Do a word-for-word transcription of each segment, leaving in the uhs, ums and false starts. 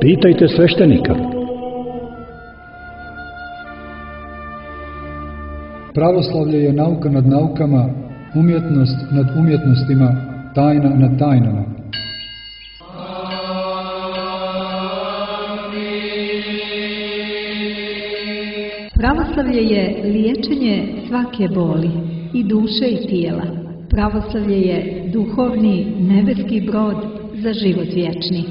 Pitajte sveštenika. Pravoslavlje je nauka nad naukama, umjetnost nad umjetnostima, tajna nad tajnama. Pravoslavlje je liječenje svake boli, i duše i tijela. Pravoslavlje je duhovni nebeski brod za život vječni.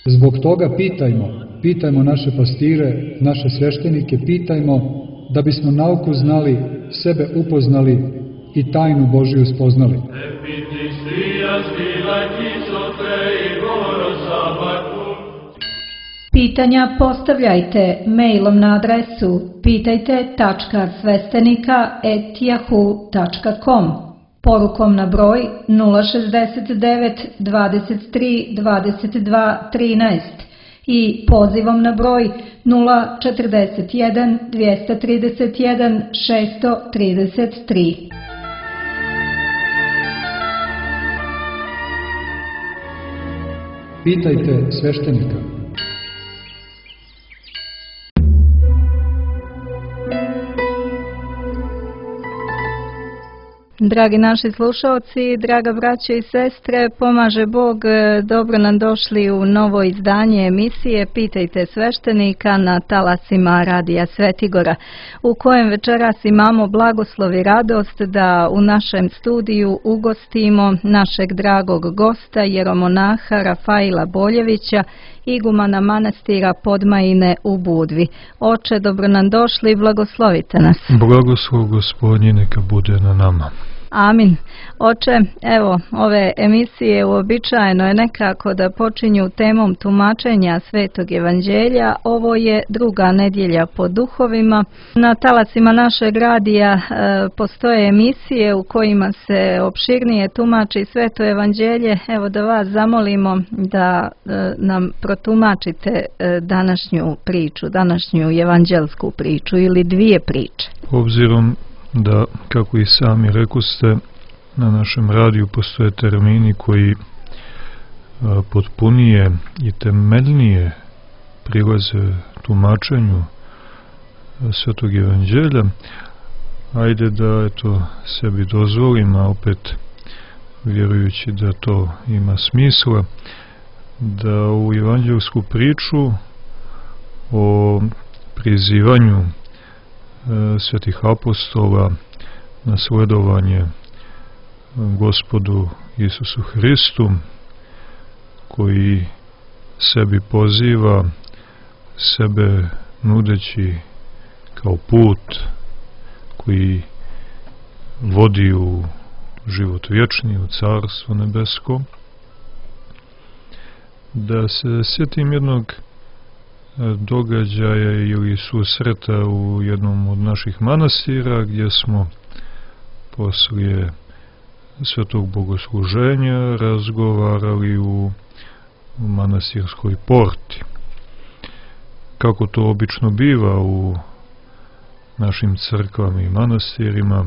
Zbog toga pitajmo, pitajmo naše pastire, naše sveštenike, pitajmo da bismo nauku znali, sebe upoznali i tajnu Božiju spoznali. Pitanja postavljajte mailom na adresu pitajte tačka sveštenika at yahoo tačka com, porukom na broj nula šezdeset devet dvadeset tri dvadeset dva trinaest i pozivom na broj nula četrdeset jedan dvjesto trideset jedan šesto trideset tri. Pitajte sveštenika. Dragi naši slušalci, draga braće i sestre, pomaže Bog, dobro nam došli u novo izdanje emisije Pitajte sveštenika na talasima Radija Svetigora, u kojem večeras imamo blagoslov i radost da u našem studiju ugostimo našeg dragog gosta, jeromonaha Rafaila Boljevića, igumana manastira Podmajine u Budvi. Oče, dobro nam došli i blagoslovite nas. Blagoslov Gospodnji neka bude na nama. Amin. Oče, evo, ove emisije uobičajeno je nekako da počinju temom tumačenja Svetog Evanđelja. Ovo je druga nedjelja po duhovima. Na talasima našeg radija e, postoje emisije u kojima se opširnije tumači Sveto Evanđelje. Evo da vas zamolimo da e, nam protumačite e, današnju priču, današnju evanđelsku priču ili dvije priče. Obzirom da, kako i sami rekoste, na našem radiju postoje termini koji a, potpunije i temeljnije prilaze tumačenju Svetog Evanđelja, ajde da eto sebi dozvolim, a opet vjerujući da to ima smisla, da u evanđelsku priču o prizivanju svetih apostola na sledovanje Gospodu Isusu Hristu, koji sebi poziva, sebe nudeći kao put koji vodi u život vječni, u Carstvo nebesko, da se sjetim jednog događaja ili susreta u jednom od naših manastira, gdje smo poslije svetog bogosluženja razgovarali u manastirskoj porti. Kako to obično biva u našim crkvama i manastirima,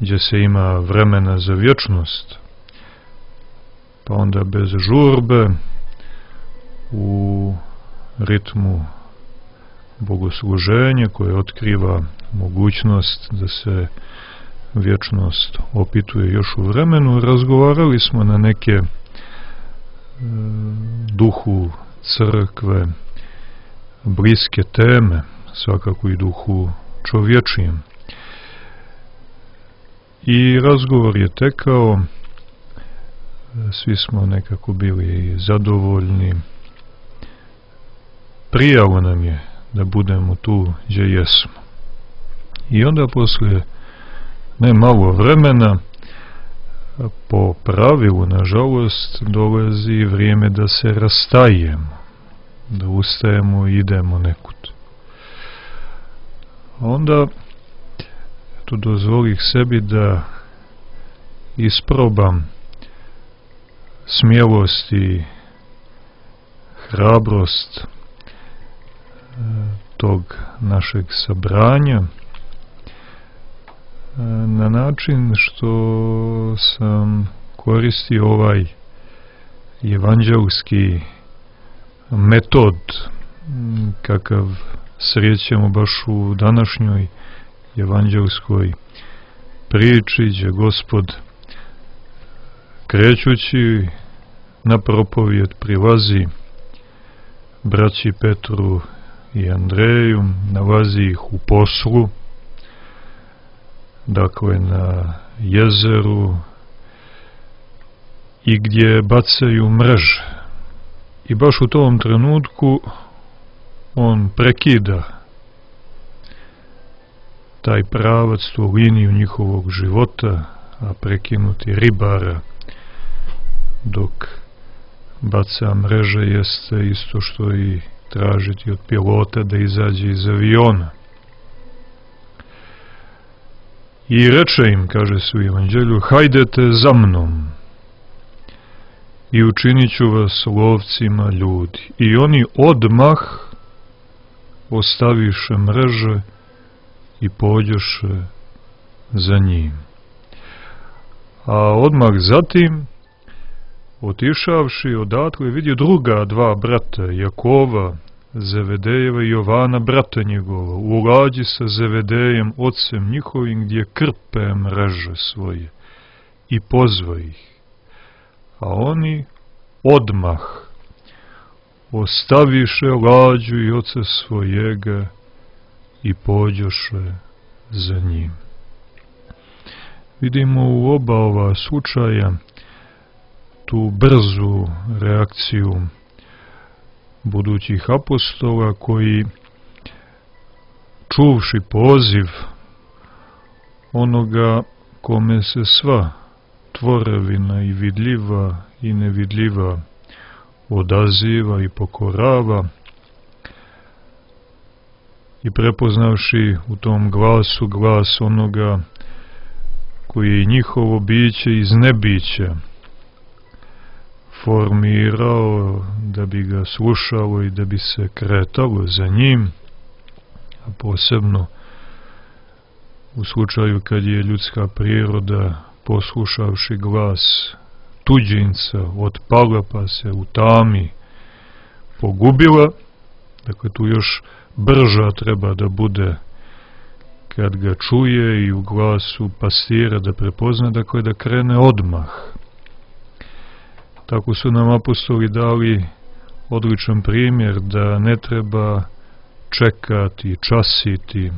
gdje se ima vremena za vječnost, pa onda bez žurbe u ritmu bogosluženja koje otkriva mogućnost da se vječnost opituje još u vremenu, razgovarali smo na neke e, duhu crkve bliske teme, svakako i duhu čovječijem. I razgovor je tekao, svi smo nekako bili zadovoljni, prijalo nam je da budemo tu gdje jesmo. I onda poslije ne malo vremena, po pravilu, nažalost, dolazi vrijeme da se rastajemo, da ustajemo i idemo nekud. Onda tu dozvolih sebi da isprobam smjelost i hrabrost tog našeg sabranja na način što sam koristio ovaj evanđelski metod kakav srećemo baš u današnjoj evanđelskoj priči, gdje Gospod krećući na propovjed prilazi braći Petru i Andreju, nalazi ih u poslu, dakle na jezeru, i gdje bacaju mreže. I baš u tom trenutku on prekida taj pravac, tu liniju njihovog života, a prekinuti ribara dok baca mreže jeste isto što i tražiti od pilota da izađe iz aviona. I reče im, kaže se u evanđelju, hajdete za mnom i učinit ću vas lovcima ljudi. I oni odmah ostaviše mreže i pođoše za njim. A odmah zatim, otišavši odatle, vidi druga dva brata, Jakova, Zevedejeva i Jovana, brata njegova, u lađi sa Zevedejem, ocem njihovim, gdje krpe mreže svoje, i pozva ih. A oni odmah ostaviše lađu i oca svojega i pođoše za njim. Vidimo u oba ova slučaja tu brzu reakciju budućih apostola koji, čuvši poziv onoga kome se sva tvorevina i vidljiva i nevidljiva odaziva i pokorava, i prepoznavši u tom glasu glas onoga koji je njihovo biće iz nebića formirao da bi ga slušalo i da bi se kretalo za njim, a posebno u slučaju kad je ljudska priroda, poslušavši glas tuđinca, otpala pa se u tami pogubila. Dakle, tu još brža treba da bude kad ga čuje i u glasu pastira da prepozna, dakle da krene odmah. Tako su nam apostoli dali odličan primjer da ne treba čekati, časiti,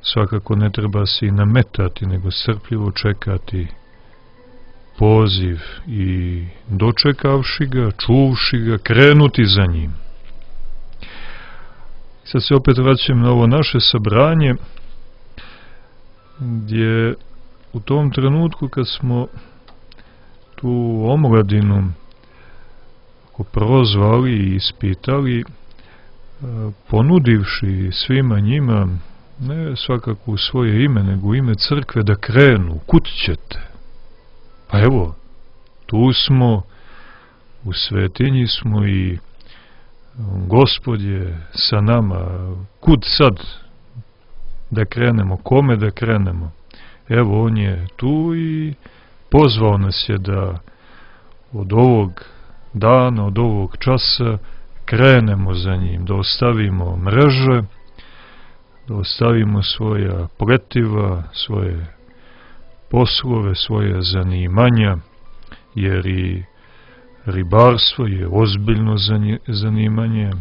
svakako ne treba se i nametati, nego strpljivo čekati poziv i dočekavši ga, čuvši ga, krenuti za njim. Sad se opet vraćam na ovo naše sabranje, gdje u tom trenutku kad smo tu omladinu prozvali i ispitali, ponudivši svima njima, ne svakako u svoje ime, nego u ime crkve, da krenu, kud ćete? Pa evo, tu smo, u svetinji smo i Gospod je sa nama, kud sad da krenemo, kome da krenemo? Evo, on je tu i pozvao nas je da od ovog dana, od ovog časa krenemo za njim, da ostavimo mreže, da ostavimo svoja pletiva, svoje poslove, svoje zanimanja, jer i ribarstvo je ozbiljno zanimanje.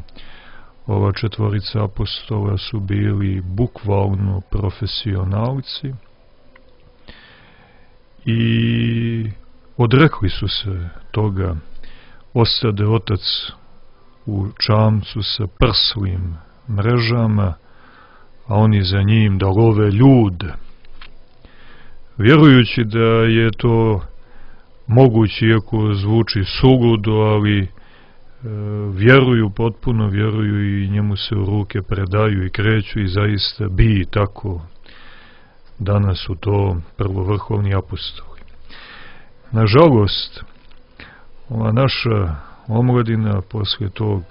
Ova četvorica apostola su bili bukvalno profesionalci i odrekli su se toga. Ostade otac u čamcu sa prslim mrežama, a oni za njim da love ljude, vjerujući da je to moguće, iako zvuči suludo, ali e, vjeruju, potpuno vjeruju i njemu se u ruke predaju i kreću, i zaista bi tako. Danas su to prvovrhovni apostoli. Nažalost, ova naša omladina posle tog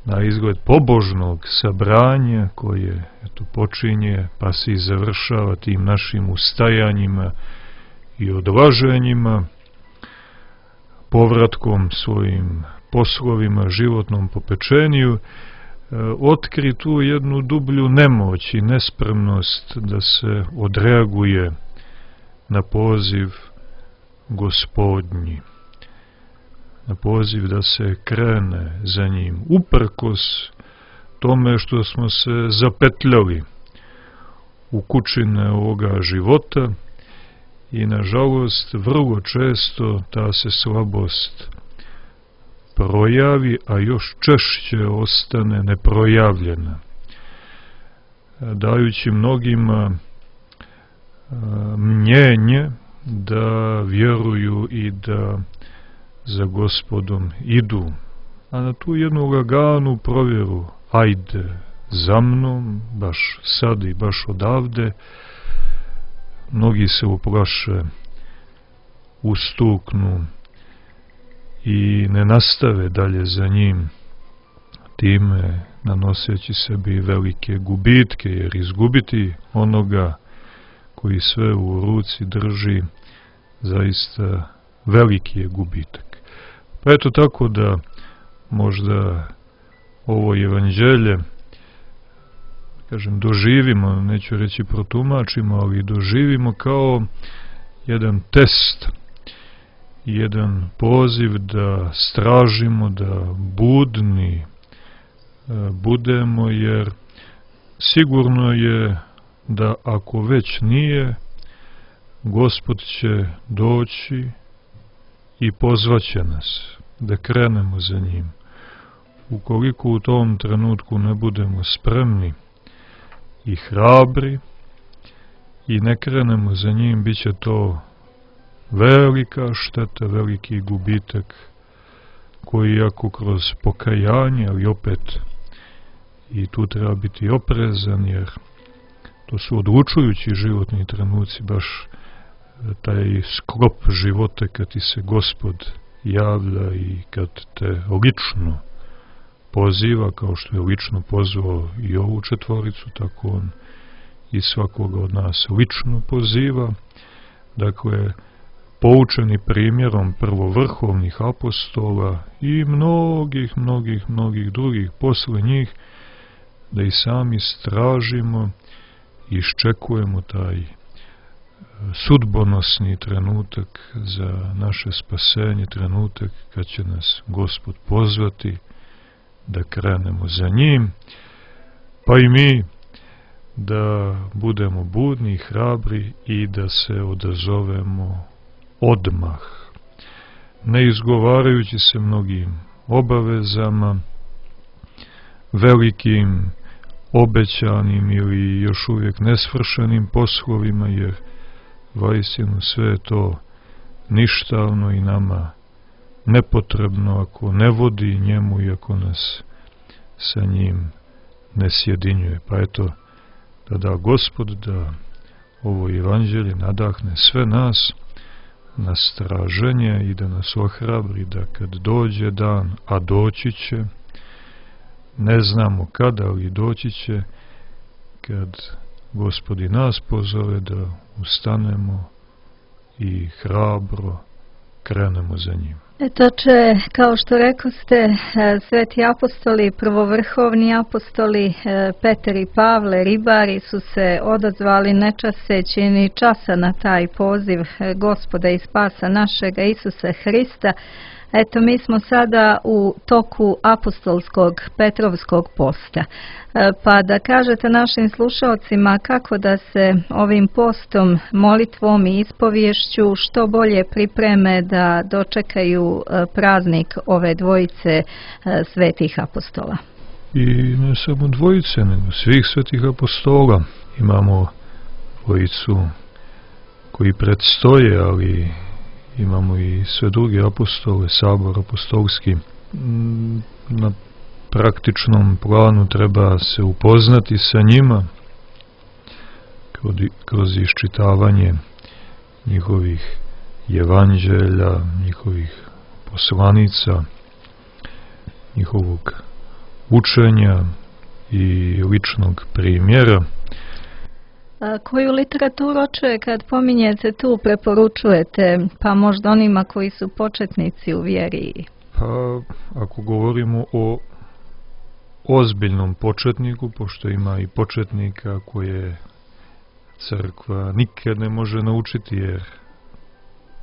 na izgled pobožnog sabranja koje eto, počinje pa se i završava tim našim ustajanjima i odlaženjima, povratkom svojim poslovima, životnom popečeniju, otkri tu jednu dublju nemoć i nespremnost da se odreaguje na poziv Gospodnji, na poziv da se krene za njim, uprkos tome što smo se zapetljali u kućine ovoga života i nažalost vrlo često ta se slabost projavi, a još češće ostane neprojavljena, dajući mnogima mnjenje da vjeruju i da za Gospodom idu, a na tu jednu laganu provjeru, ajde za mnom, baš sad i baš odavde, mnogi se uplaše, ustuknu i ne nastave dalje za njim, time nanoseći sebi velike gubitke, jer izgubiti onoga koji sve u ruci drži zaista veliki je gubitak. Pa eto tako da možda ovo evanđelje, kažem, doživimo, neću reći protumačimo, ali doživimo kao jedan test, jedan poziv da stražimo, da budni budemo, jer sigurno je da ako već nije, Gospod će doći i pozvaće nas da krenemo za njim. Ukoliko u tom trenutku ne budemo spremni i hrabri i ne krenemo za njim, bit će to velika šteta, veliki gubitak koji, ako kroz pokajanje, ali opet i tu treba biti oprezan, jer to su odlučujući životni trenuci, baš taj sklop života kad ti se Gospod javlja i kad te lično poziva, kao što je lično pozvao i ovu četvoricu, tako on i svakoga od nas lično poziva. Dakle, poučeni primjerom prvovrhovnih apostola i mnogih, mnogih, mnogih drugih posle njih, da i sami stražimo i iščekujemo taj sudbonosni trenutak za naše spasenje, trenutak kad će nas Gospod pozvati da krenemo za njim, pa i mi da budemo budni i hrabri i da se odazovemo odmah, ne izgovarajući se mnogim obavezama, velikim, obećanim ili još uvijek nesvršenim poslovima, jer vaistinu sve je to ništavno i nama nepotrebno ako ne vodi njemu i ako nas sa njim ne sjedinjuje. Pa eto, da da Gospod da ovo evanđelje nadahne sve nas na straženje i da nas ohrabri da kad dođe dan, a doći će, ne znamo kada, ali doći će, kad Gospod i nas pozove da ustanemo i hrabro krenemo za njim. Eto će, kao što rekoste, sveti apostoli, prvovrhovni apostoli Petar i Pavle, ribari, su se odazvali ne časeći ni časa na taj poziv Gospoda i spasa našega Isusa Hrista. Eto, mi smo sada u toku apostolskog Petrovskog posta. Pa da kažete našim slušalcima kako da se ovim postom, molitvom i ispovješću što bolje pripreme da dočekaju praznik ove dvojice svetih apostola. I ne samo dvojice, nego svih svetih apostola. Imamo dvojicu koji predstoje, ali imamo i sve druge apostole, sabor apostolski. Na praktičnom planu treba se upoznati sa njima kroz iščitavanje njihovih evanđelja, njihovih poslanica, njihovog učenja i ličnog primjera. A koju literaturu, oče, kad pominjete tu, preporučujete, pa možda onima koji su početnici u vjeri? Pa, ako govorimo o ozbiljnom početniku, pošto ima i početnika koje crkva nikad ne može naučiti, jer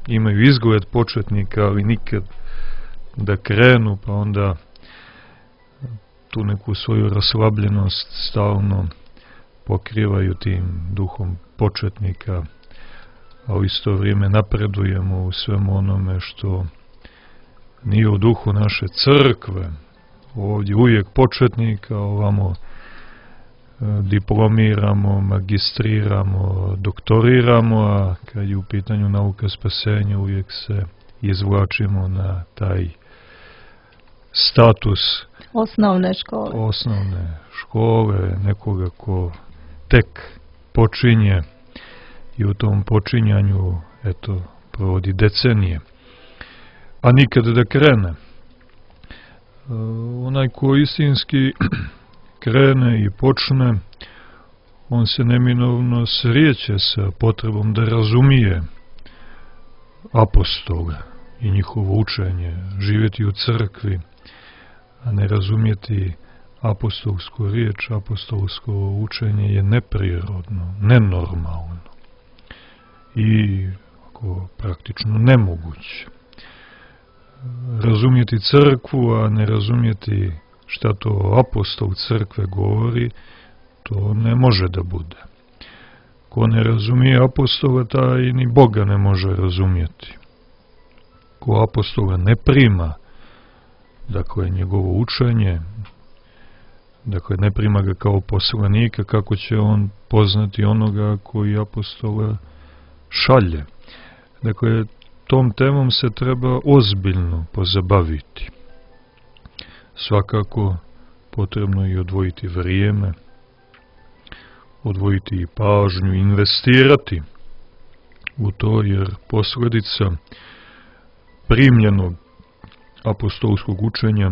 imaju izgled početnika, ali nikad da krenu, pa onda tu neku svoju raslabljenost stalno pokrivaju tim duhom početnika, a u isto vrijeme napredujemo u svemu onome što nije u duhu naše crkve. Ovdje uvijek početnika, ovamo diplomiramo, magistriramo, doktoriramo, a kad je u pitanju nauka spasenja uvijek se izvlačimo na taj status osnovne škole. Osnovne škole, nekoga ko tek počinje i u tom počinjanju, eto, provodi decenije, a nikad da krene. Onaj ko istinski krene i počne, on se neminovno srijeće sa potrebom da razumije apostole i njihovo učenje, živjeti u crkvi, a ne razumjeti apostolsku riječ, apostolsko učenje je neprirodno, nenormalno i ako praktično nemoguće. Razumjeti crkvu, a ne razumjeti šta to apostol crkve govori, to ne može da bude. Ko ne razumije apostola, taj ni Boga ne može razumjeti. Ko apostola ne prima, dakle, njegovo učenje, dakle, ne prima ga kao poslanika, kako će on poznati onoga koji apostola šalje. Dakle, tom temom se treba ozbiljno pozabaviti. Svakako potrebno je odvojiti vrijeme, odvojiti i pažnju, investirati u to, jer posljedica primljenog apostolskog učenja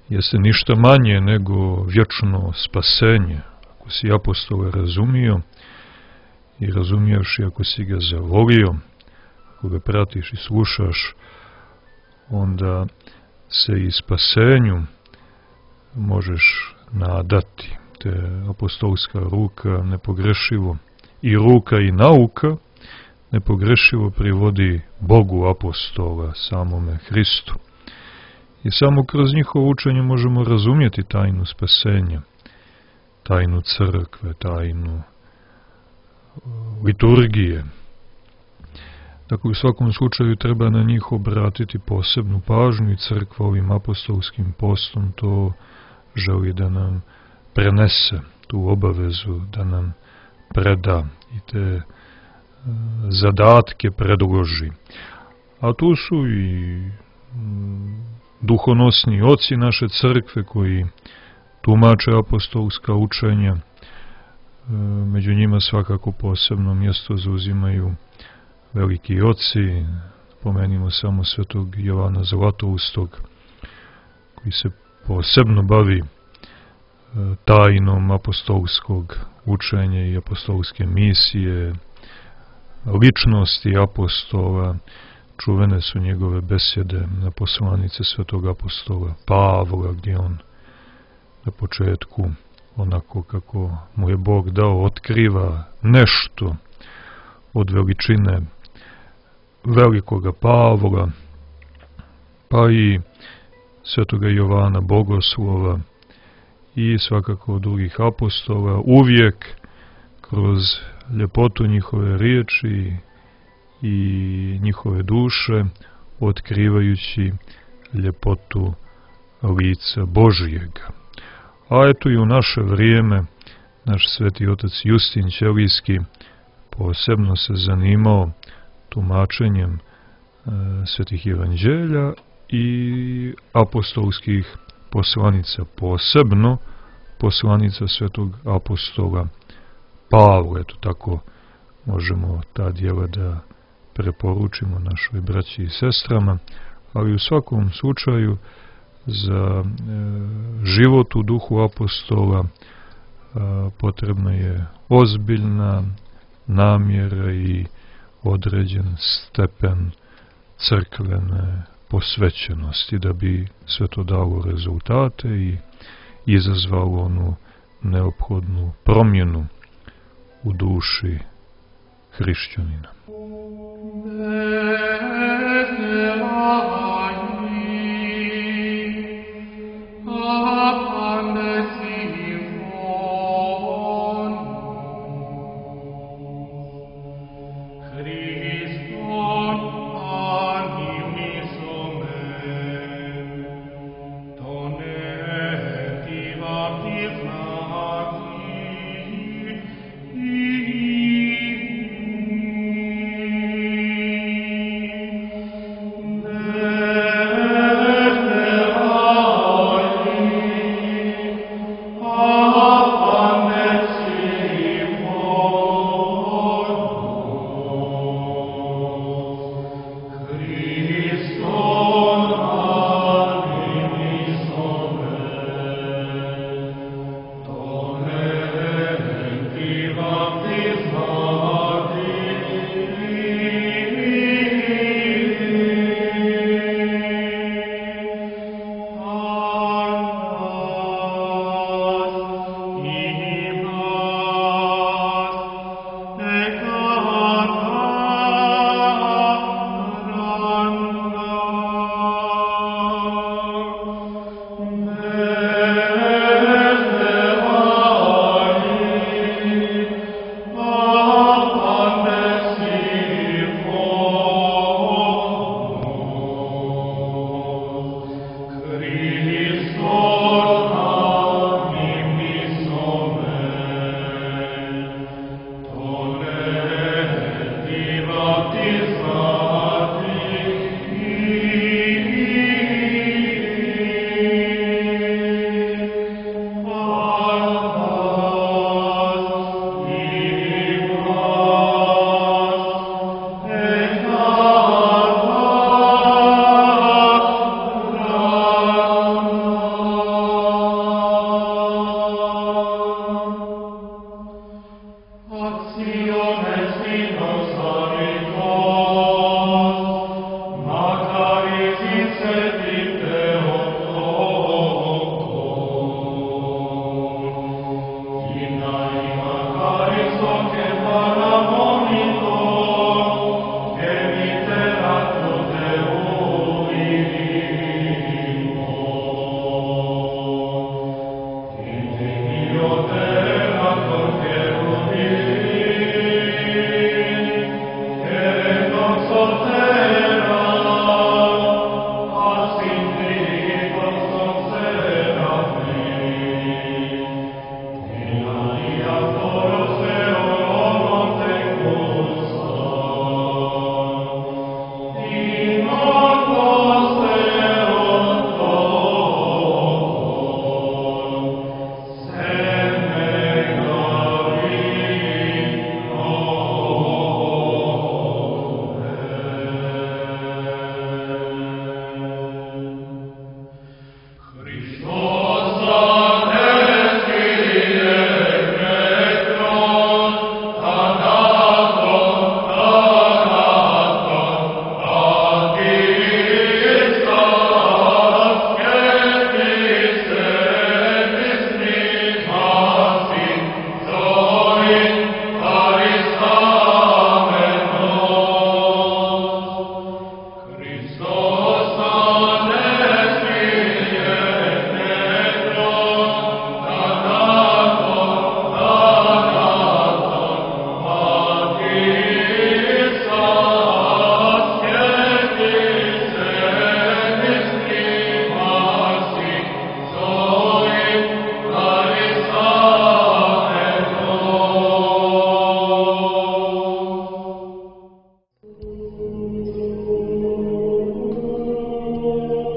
jeste ništa manje nego vječno spasenje. Ako si apostola razumio i razumijevši, ako si ga zavolio, ako ga pratiš i slušaš, onda se i spasenju možeš nadati. Te apostolska ruka nepogrešivo i ruka i nauka nepogrešivo privodi Bogu apostola, samome Hristu. I samo kroz njihovo učenje možemo razumjeti tajnu spasenja, tajnu crkve, tajnu liturgije. Dakle, u svakom slučaju treba na njih obratiti posebnu pažnju i crkva ovim apostolskim postom to želi da nam prenese, tu obavezu da nam preda i te zadatke predloži. A tu su i duhonosni oci naše crkve koji tumače apostolska učenja. Među njima svakako posebno mjesto zauzimaju veliki oci. Pomenimo samo svetog Jovana Zlatoustog, koji se posebno bavi tajnom apostolskog učenja i apostolske misije, ličnosti apostola. Čuvene su njegove besjede na poslanice svetog apostola Pavla, gdje on na početku, onako kako mu je Bog dao, otkriva nešto od veličine velikoga Pavla, pa i svetoga Jovana Bogoslova i svakako drugih apostola, uvijek kroz ljepotu njihove riječi i njihove duše, otkrivajući ljepotu lica Božijega. A eto i u naše vrijeme naš sveti otac Justin Ćelijski posebno se zanimao tumačenjem e, svetih evanđelja i apostolskih poslanica, posebno poslanica svetog apostola Pavla. Eto tako možemo ta djela da preporučimo našoj braći i sestrama, ali u svakom slučaju za život u duhu apostola potrebna je ozbiljna namjera i određen stepen crkvene posvećenosti da bi sve to dalo rezultate i izazvalo onu neophodnu promjenu u duši hrišćanina.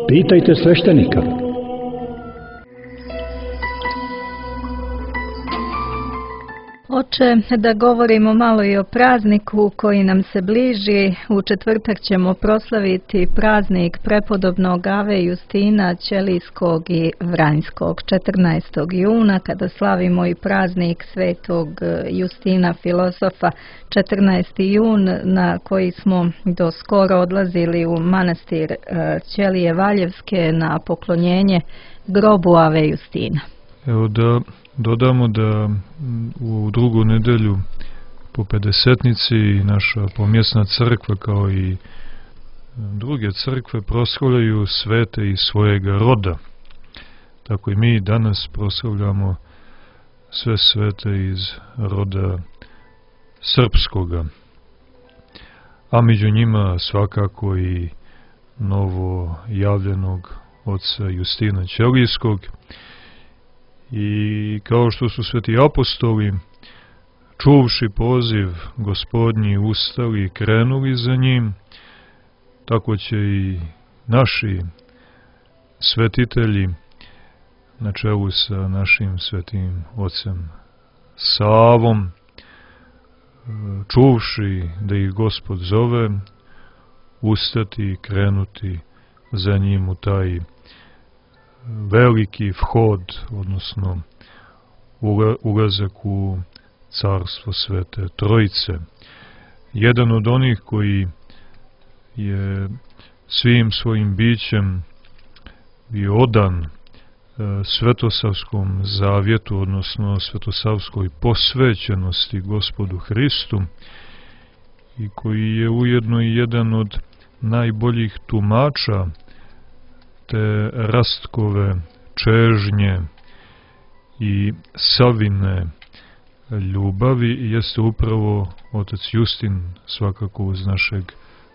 Pitajte sveštenika. Oče, da govorimo malo i o prazniku koji nam se bliži. U četvrtak ćemo proslaviti praznik prepodobnog Ave Justina Ćelijskog i Vranjskog. četrnaestog juna, kada slavimo i praznik svetog Justina filozofa, četrnaesti jun, na koji smo do skoro odlazili u manastir Ćelije Valjevske na poklonjenje grobu Ave Justina. Evo da dodamo da u drugu nedelju po pedesetnici naša pomjesna crkva kao i druge crkve proslavljaju svete iz svojega roda. Tako i mi danas proslavljamo sve svete iz roda srpskoga, a među njima svakako i novo javljenog oca Justina Ćelijskog. I kao što su sveti apostoli, čuvši poziv Gospodnji, ustali i krenuli za njim, tako će i naši svetitelji, na čelu sa našim svetim ocem Savom, čuvši da ih Gospod zove, ustati i krenuti za njim u taj veliki vhod, odnosno ulazak u carstvo Svete Trojice. Jedan od onih koji je svim svojim bićem bio odan Svetosavskom zavjetu, odnosno svetosavskoj posvećenosti Gospodu Hristu, i koji je ujedno i jedan od najboljih tumača te rastkove čežnje i savine ljubavi, jeste upravo otac Justin, svakako uz našeg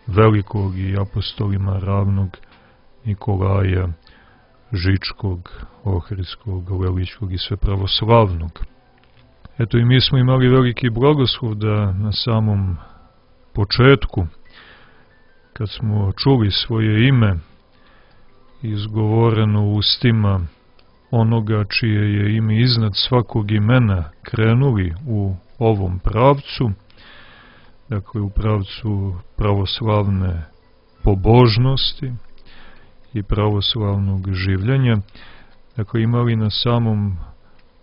velikog i apostolima ravnog Nikolaja Žičkog, Ohridskog, Leličkog i svepravoslavnog. Eto, i mi smo imali veliki blagoslov da na samom početku, kad smo čuli svoje ime izgovoreno ustima onoga čije je ime iznad svakog imena, krenuli u ovom pravcu, dakle u pravcu pravoslavne pobožnosti i pravoslavnog življenja, dakle imali na samom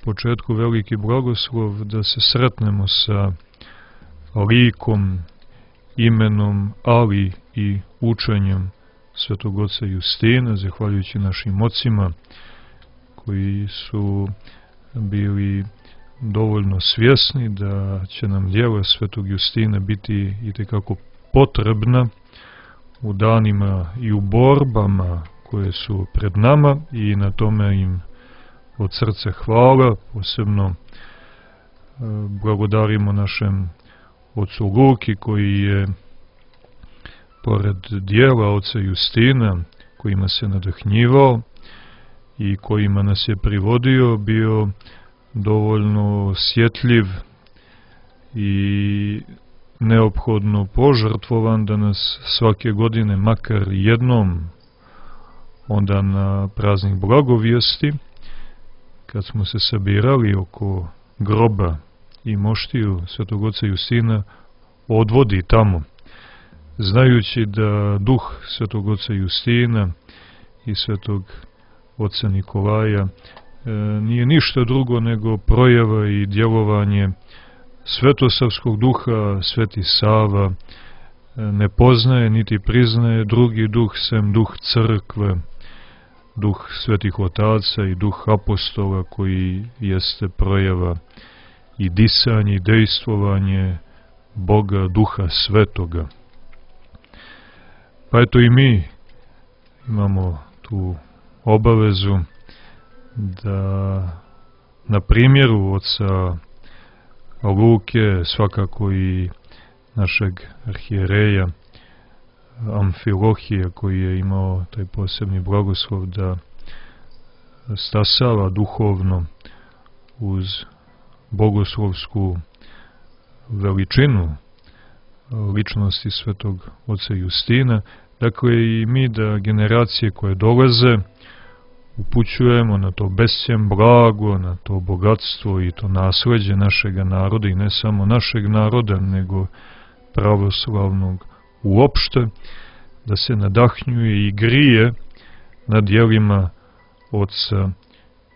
početku veliki blagoslov da se sretnemo sa likom, imenom, ali i učenjem svetog oca Justina, zahvaljujući našim ocima koji su bili dovoljno svjesni da će nam djela svetog Justina biti itekako potrebna u danima i u borbama koje su pred nama, i na tome im od srca hvala. Posebno blagodarimo našem ocu Luki, koji je pored dijela oca Justina, kojima se nadahnjivao i kojima nas je privodio, bio dovoljno osjetljiv i neophodno požrtvovan da nas svake godine, makar jednom, onda na praznik Blagovijesti, kad smo se sabirali oko groba i moštiju svetog oca Justina, odvodi tamo, znajući da duh svetog oca Justina i svetog oca Nikolaja e, nije ništa drugo nego projava i djelovanje svetosavskog duha. Sveti Sava e, ne poznaje niti priznaje drugi duh sem duh crkve, duh svetih otaca i duh apostola, koji jeste projava i disanje i dejstvovanje Boga, duha svetoga. Pa eto i mi imamo tu obavezu da na primjeru oca Luke, svakako i našeg arhijereja Amfilohija, koji je imao taj posebni blagoslov da stasava duhovno uz bogoslovsku veličinu ličnosti svetog oca Justina, dakle i mi da generacije koje dolaze upućujemo na to bescjen blago, na to bogatstvo i to nasleđe našega naroda, i ne samo našeg naroda, nego pravoslavnog uopšte, da se nadahnjuje i grije na djelima oca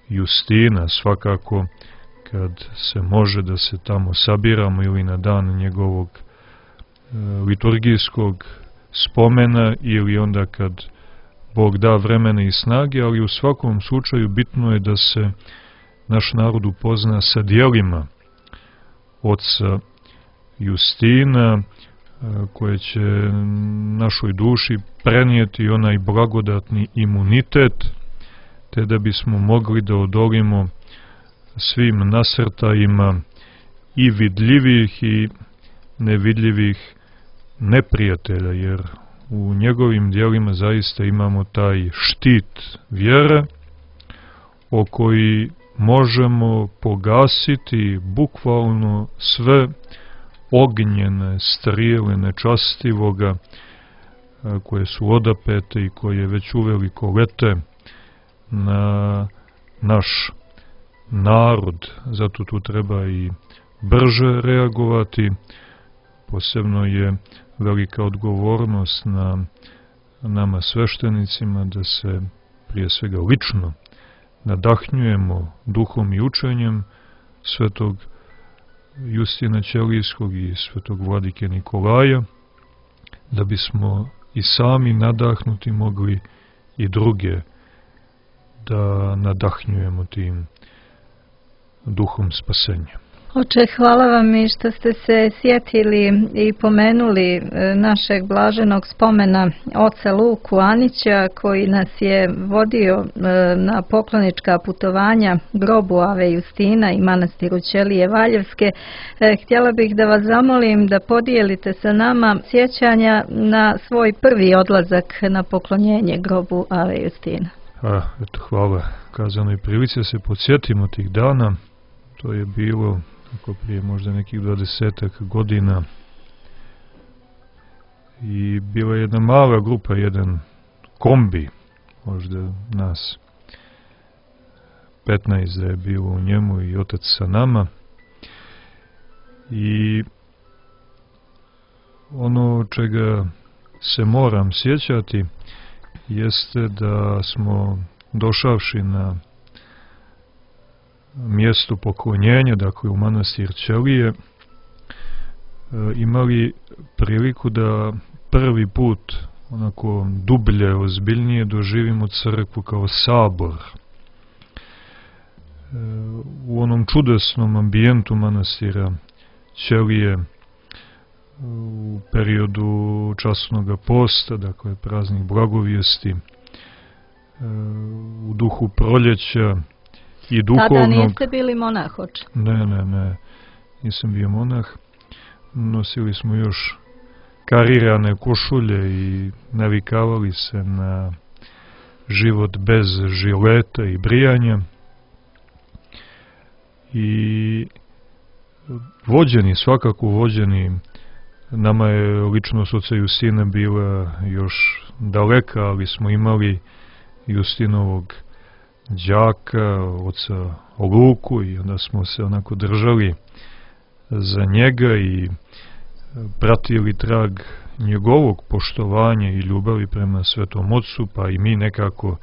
Justina, svakako kad se može da se tamo sabiramo ili na dan njegovog e, liturgijskog spomena ili onda kad Bog da vremena i snage, ali u svakom slučaju bitno je da se naš narod upozna sa djelima oca Justina, koje će našoj duši prenijeti onaj blagodatni imunitet, te da bismo mogli da odolimo svim nasrtajima i vidljivih i nevidljivih neprijatelja, jer u njegovim djelima zaista imamo taj štit vjere o koji možemo pogasiti bukvalno sve ognjene strijele nečastivoga koje su odapete i koje već uveliko lete na naš narod. Zato tu treba i brže reagovati. Posebno je velika odgovornost na nama sveštenicima da se prije svega lično nadahnjujemo duhom i učenjem svetog Justina Ćelijskog i svetog vladike Nikolaja, da bismo i sami nadahnuti mogli i druge da nadahnjujemo tim duhom spasenja. Oče, hvala vam i što ste se sjetili i pomenuli našeg blaženog spomena oca Luku Anića, koji nas je vodio na poklonička putovanja grobu Ave Justina i manastiru Ćelije Valjevske. Htjela bih da vas zamolim da podijelite sa nama sjećanja na svoj prvi odlazak na poklonjenje grobu Ave Justina. A, eto, hvala kazanoj prilici da se podsjetimo tih dana. To je bilo ako prije možda nekih dvadesetak godina i bila je jedna mala grupa, jedan kombi, možda nas petnaest da je bilo u njemu i otac sa nama, i ono čega se moram sjećati jeste da smo došavši na mjestu poklonjenja, dakle u manastir Ćelije, imali priliku da prvi put onako dublje, ozbiljnije doživimo crkvu kao sabor. U onom čudesnom ambijentu manastira Ćelije u periodu časnog posta, dakle praznih blagovijesti, u duhu proljeća i duhovnog... Tada niste bili monah, oče? Ne, ne, ne, nisam bio monah. Nosili smo još karirane košulje i navikavali se na život bez žileta i brijanja. I vođeni, svakako vođeni, nama je ličnost oca Justina bila još daleka, ali smo imali Justinovog đaka, oca Luku, i onda smo se onako držali za njega i pratili trag njegovog poštovanja i ljubavi prema Svetom Ocu, pa i mi nekako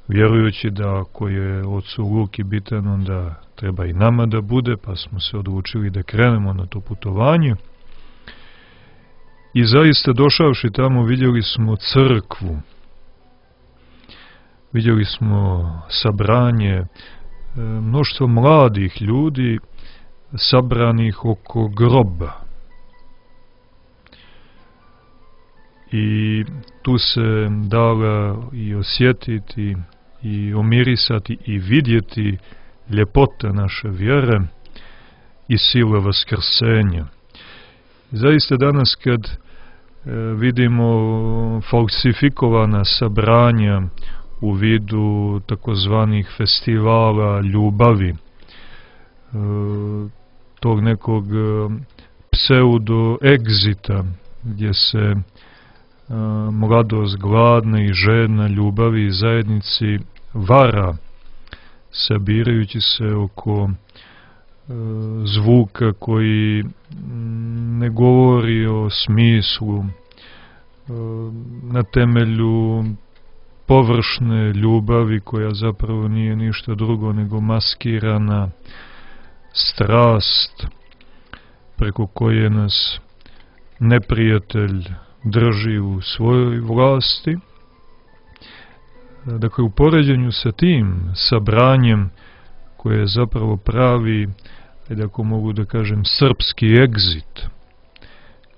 vjerujući da ako je ocu Luki bitan, onda treba i nama da bude, pa smo se odlučili da krenemo na to putovanje. I zaista došavši tamo vidjeli smo crkvu. Vidjeli smo sabranje, mnoštvo mladih ljudi sabranih oko groba. I tu se dala i osjetiti i omirisati i vidjeti ljepota naše vjere i sile vaskrsenja. Zaista danas kad e, vidimo falsifikovana sabranja u vidu takozvanih festivala ljubavi, e, tog nekog pseudo egzita gdje se e, mladost gladna i žedna ljubavi i zajednici vara, sabirajući se oko e, zvuka koji ne govori o smislu, e, na temelju površne ljubavi koja zapravo nije ništa drugo nego maskirana strast preko koje nas neprijatelj drži u svojoj vlasti. Dakle, u poređenju sa tim sabranjem koje je zapravo pravi, ajde ako mogu da kažem, srpski egzit,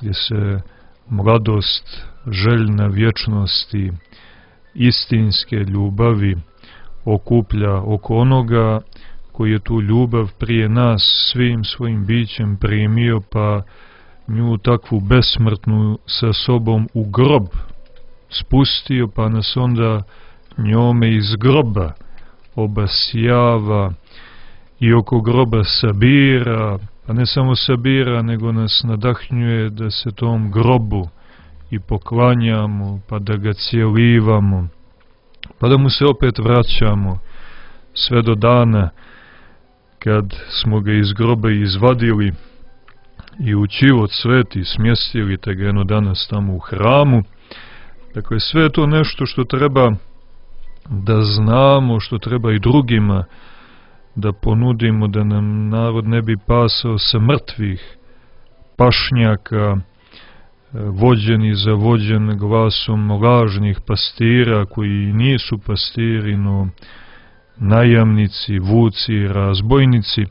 gdje se mladost, željna vječnosti, istinske ljubavi okuplja oko onoga koji je tu ljubav prije nas svim svojim bićem primio, pa nju takvu besmrtnu sa sobom u grob spustio, pa nas onda njome iz groba obasjava i oko groba sabira, pa ne samo sabira, nego nas nadahnjuje da se tom grobu i poklanjamo, pa da ga cijelivamo, pa da mu se opet vraćamo, sve do dana kad smo ga iz groba izvadili i u život sveti smjestili, te ga jedno danas tamo u hramu. Dakle, sve je to nešto što treba da znamo, što treba i drugima da ponudimo, da nam narod ne bi pasao sa mrtvih pašnjaka, vođen i zavođen glasom lažnih pastira koji nisu pastiri, no najamnici, vuci, razbojnici.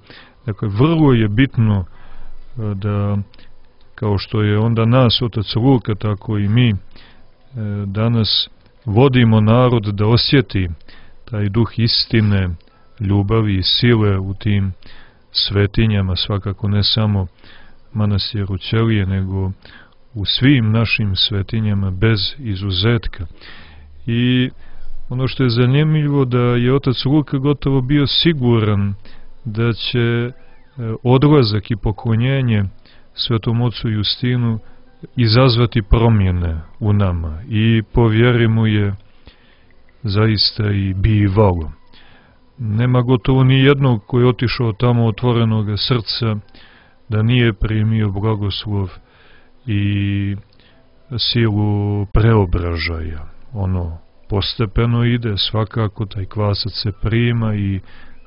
Dakle, vrlo je bitno da, kao što je onda nas otac Luka, tako i mi danas vodimo narod da osjeti taj duh istine, ljubavi i sile u tim svetinjama, svakako ne samo manastiru Ćelije, nego u svim našim svetinjama bez izuzetka. I ono što je zanimljivo, da je otac Luka gotovo bio siguran da će odlazak i poklonjenje svetom ocu Justinu izazvati promjene u nama, i po vjeri mu je zaista i bivalo. Nema gotovo ni jednog koji je otišao tamo otvorenog srca da nije primio blagoslov i silu preobražaja. Ono postepeno ide, svakako taj kvasac se prima i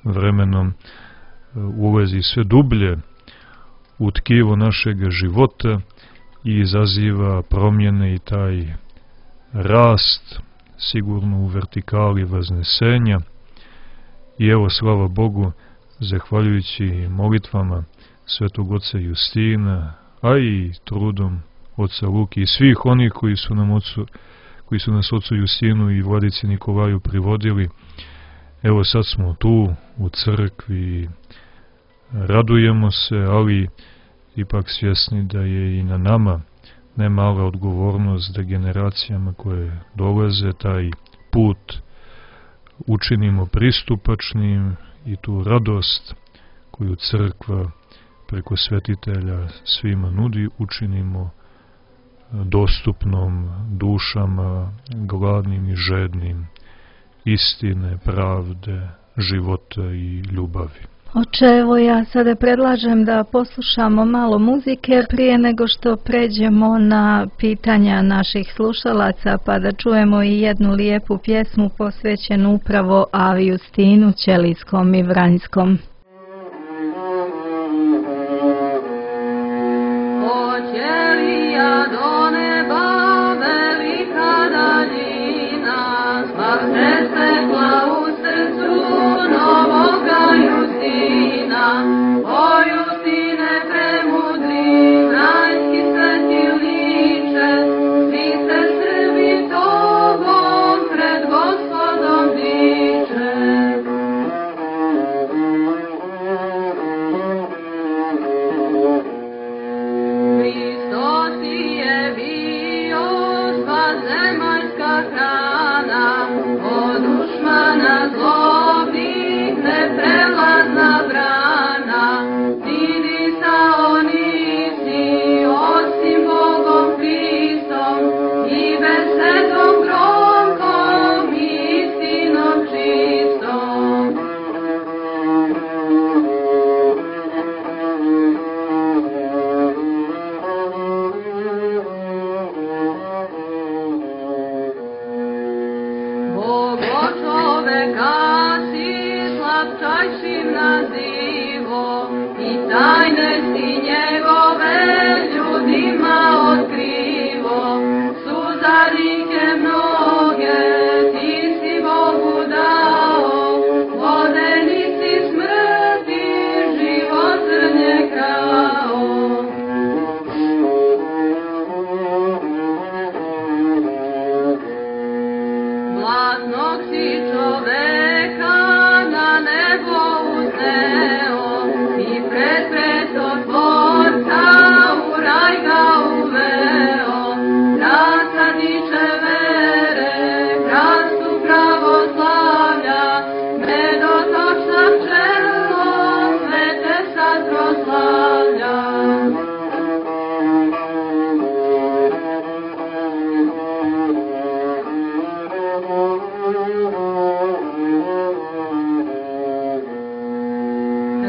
vremenom ulazi sve dublje u tkivo našeg života i izaziva promjene i taj rast, sigurno u vertikali vaznesenja. I evo, slava Bogu, zahvaljujući molitvama svetog oca Justina, a i trudom oca Luki i svih onih koji su nam ocu, koji su nas ocu Justinu i vladici Nikolaju privodili, evo sad smo tu u crkvi, radujemo se, ali ipak svjesni da je i na nama ne mala odgovornost da generacijama koje dolaze taj put učinimo pristupačnim i tu radost koju crkva preko svetitelja svima nudi učinimo dostupnom dušama gladnim i žednim istine, pravde, života i ljubavi. Oče, evo ja sada predlažem da poslušamo malo muzike prije nego što pređemo na pitanja naših slušalaca, pa da čujemo i jednu lijepu pjesmu posvećenu upravo Avi Justinu Ćelijskom i Vranjskom. Thank you. najvišim nazivom i tajne si njegove ljudima otkrivo. Suzarike mnoge ti si Bogu dao, vodeni si smrti, život zrnje krao. Blatnog si čoveka na nebo uzneo i pred pretotvorca u raj ga uveo. Rasadiče vere, krastu pravoslavlja, medotočna pčelo, sve te sad proslavlja.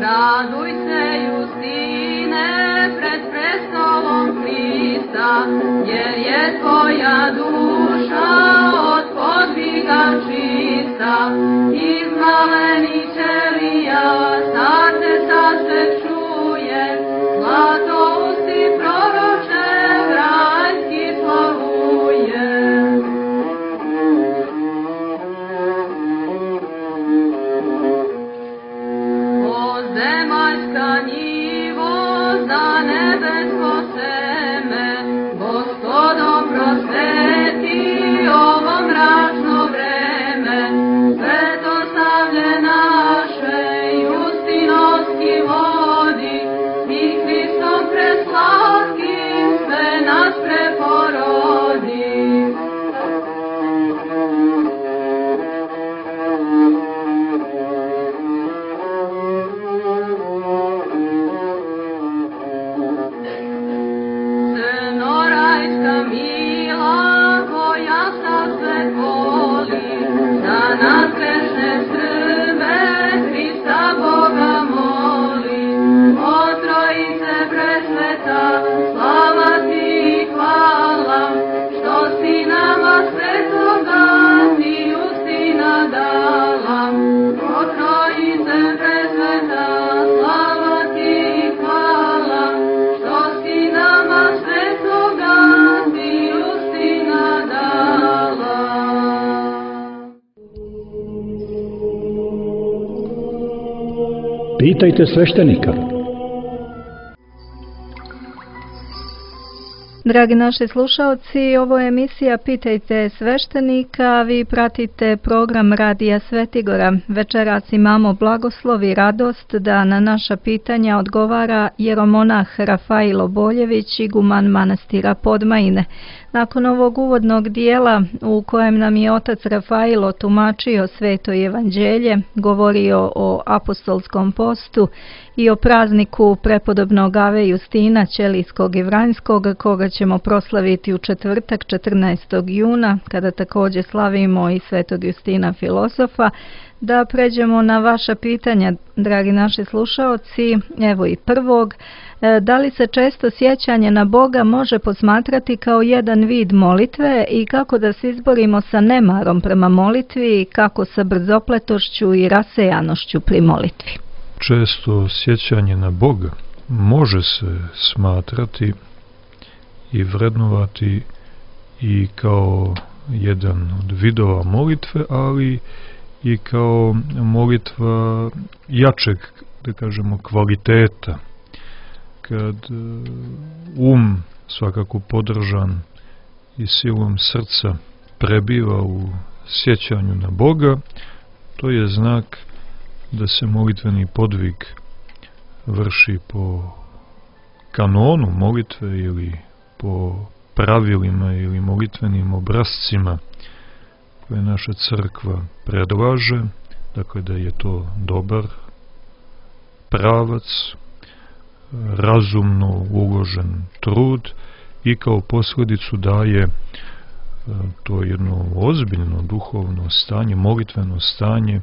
Raduj se, Justine, pred prestolom Hrista, jer je tvoja duša od podviga čista. Iz malenih ćelija sad te sad se čuje, zlato usti proroče rajski slavuje. Zemaljska njivo za nebesko seme, Gospodo prosveti ovo mračno vreme. Svetoslavlje naše Justinovski vodi i Hristom preslatkim sve nas preporodi. Mila koja sa sve voli, za nas grešne Srbe Hrista Boga moli. O Trojice presveta, slava ti i hvala, što si nama svetoga ti Justina dala. O Trojice presveta, slava ti i hvala, što si nama svetoga ti Justina dala. Pitajte sveštenika. Dragi naši slušalci, ovo je emisija Pitajte sveštenika, vi pratite program Radija Svetigora. Večeras imamo blagoslov i radost da na naša pitanja odgovara jeromonah Rafailo Boljević, iguman manastira Podmajine. Nakon ovog uvodnog dijela u kojem nam je otac Rafailo tumačio Sveto evanđelje, govorio o apostolskom postu i o prazniku prepodobnog Ave Justina Ćelijskog i Vranjskog, koga ćemo proslaviti u četvrtak četrnaestog juna, kada također slavimo i Svetog Justina filozofa, da pređemo na vaša pitanja, dragi naši slušaoci. Evo i prvog. Da li se često sjećanje na Boga može posmatrati kao jedan vid molitve i kako da se izborimo sa nemarom prema molitvi i kako sa brzopletošću i rasejanošću pri molitvi? Često sjećanje na Boga može se smatrati i vrednovati i kao jedan od vidova molitve, ali i kao molitva jačeg, da kažemo, kvaliteta. Kad um, svakako podržan i silom srca, prebiva u sjećanju na Boga, to je znak da se molitveni podvig vrši po kanonu molitve ili po pravilima ili molitvenim obrascima koje naša crkva predlaže, dakle da je to dobar pravac, razumno uložen trud i kao posljedicu daje to jedno ozbiljno duhovno stanje, molitveno stanje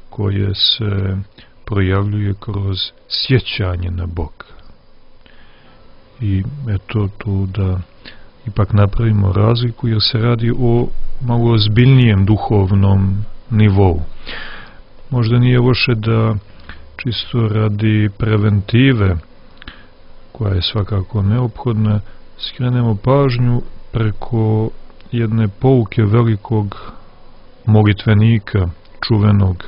koje se projavljuje kroz sjećanje na Boga. I eto tu da ipak napravimo razliku, jer se radi o malo ozbiljnijem duhovnom nivou. možda nije loše da čisto radi preventive, koja je svakako neophodna, skrenemo pažnju preko jedne pouke velikog molitvenika, čuvenog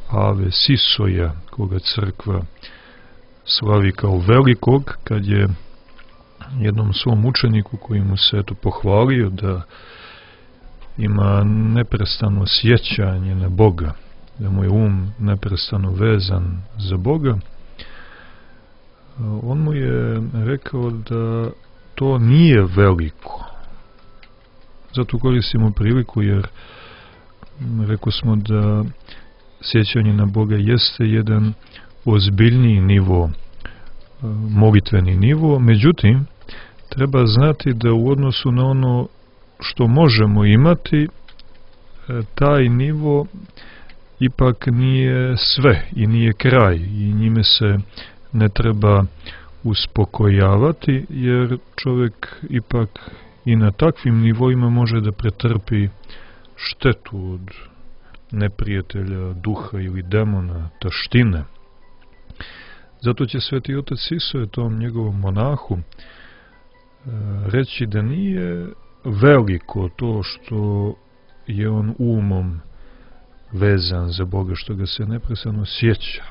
Ave Sisoja, koga crkva slavi kao velikog, kad je jednom svom učeniku koji mu se eto pohvalio da ima neprestano sjećanje na Boga, da mu je um neprestano vezan za Boga, on mu je rekao da to nije veliko. Zato koristimo priliku, jer rekao smo da sjećanje na Boga jeste jedan ozbiljniji nivo, molitveni nivo, međutim, treba znati da u odnosu na ono što možemo imati, taj nivo ipak nije sve i nije kraj i njime se ne treba uspokojavati, jer čovjek ipak i na takvim nivoima može da pretrpi štetu od neprijatelja, duha ili demona, taštine. Zato će Sveti otac Sisoje tom njegovom monahu reći da nije veliko to što je on umom vezan za Boga, što ga se neprestano sjeća,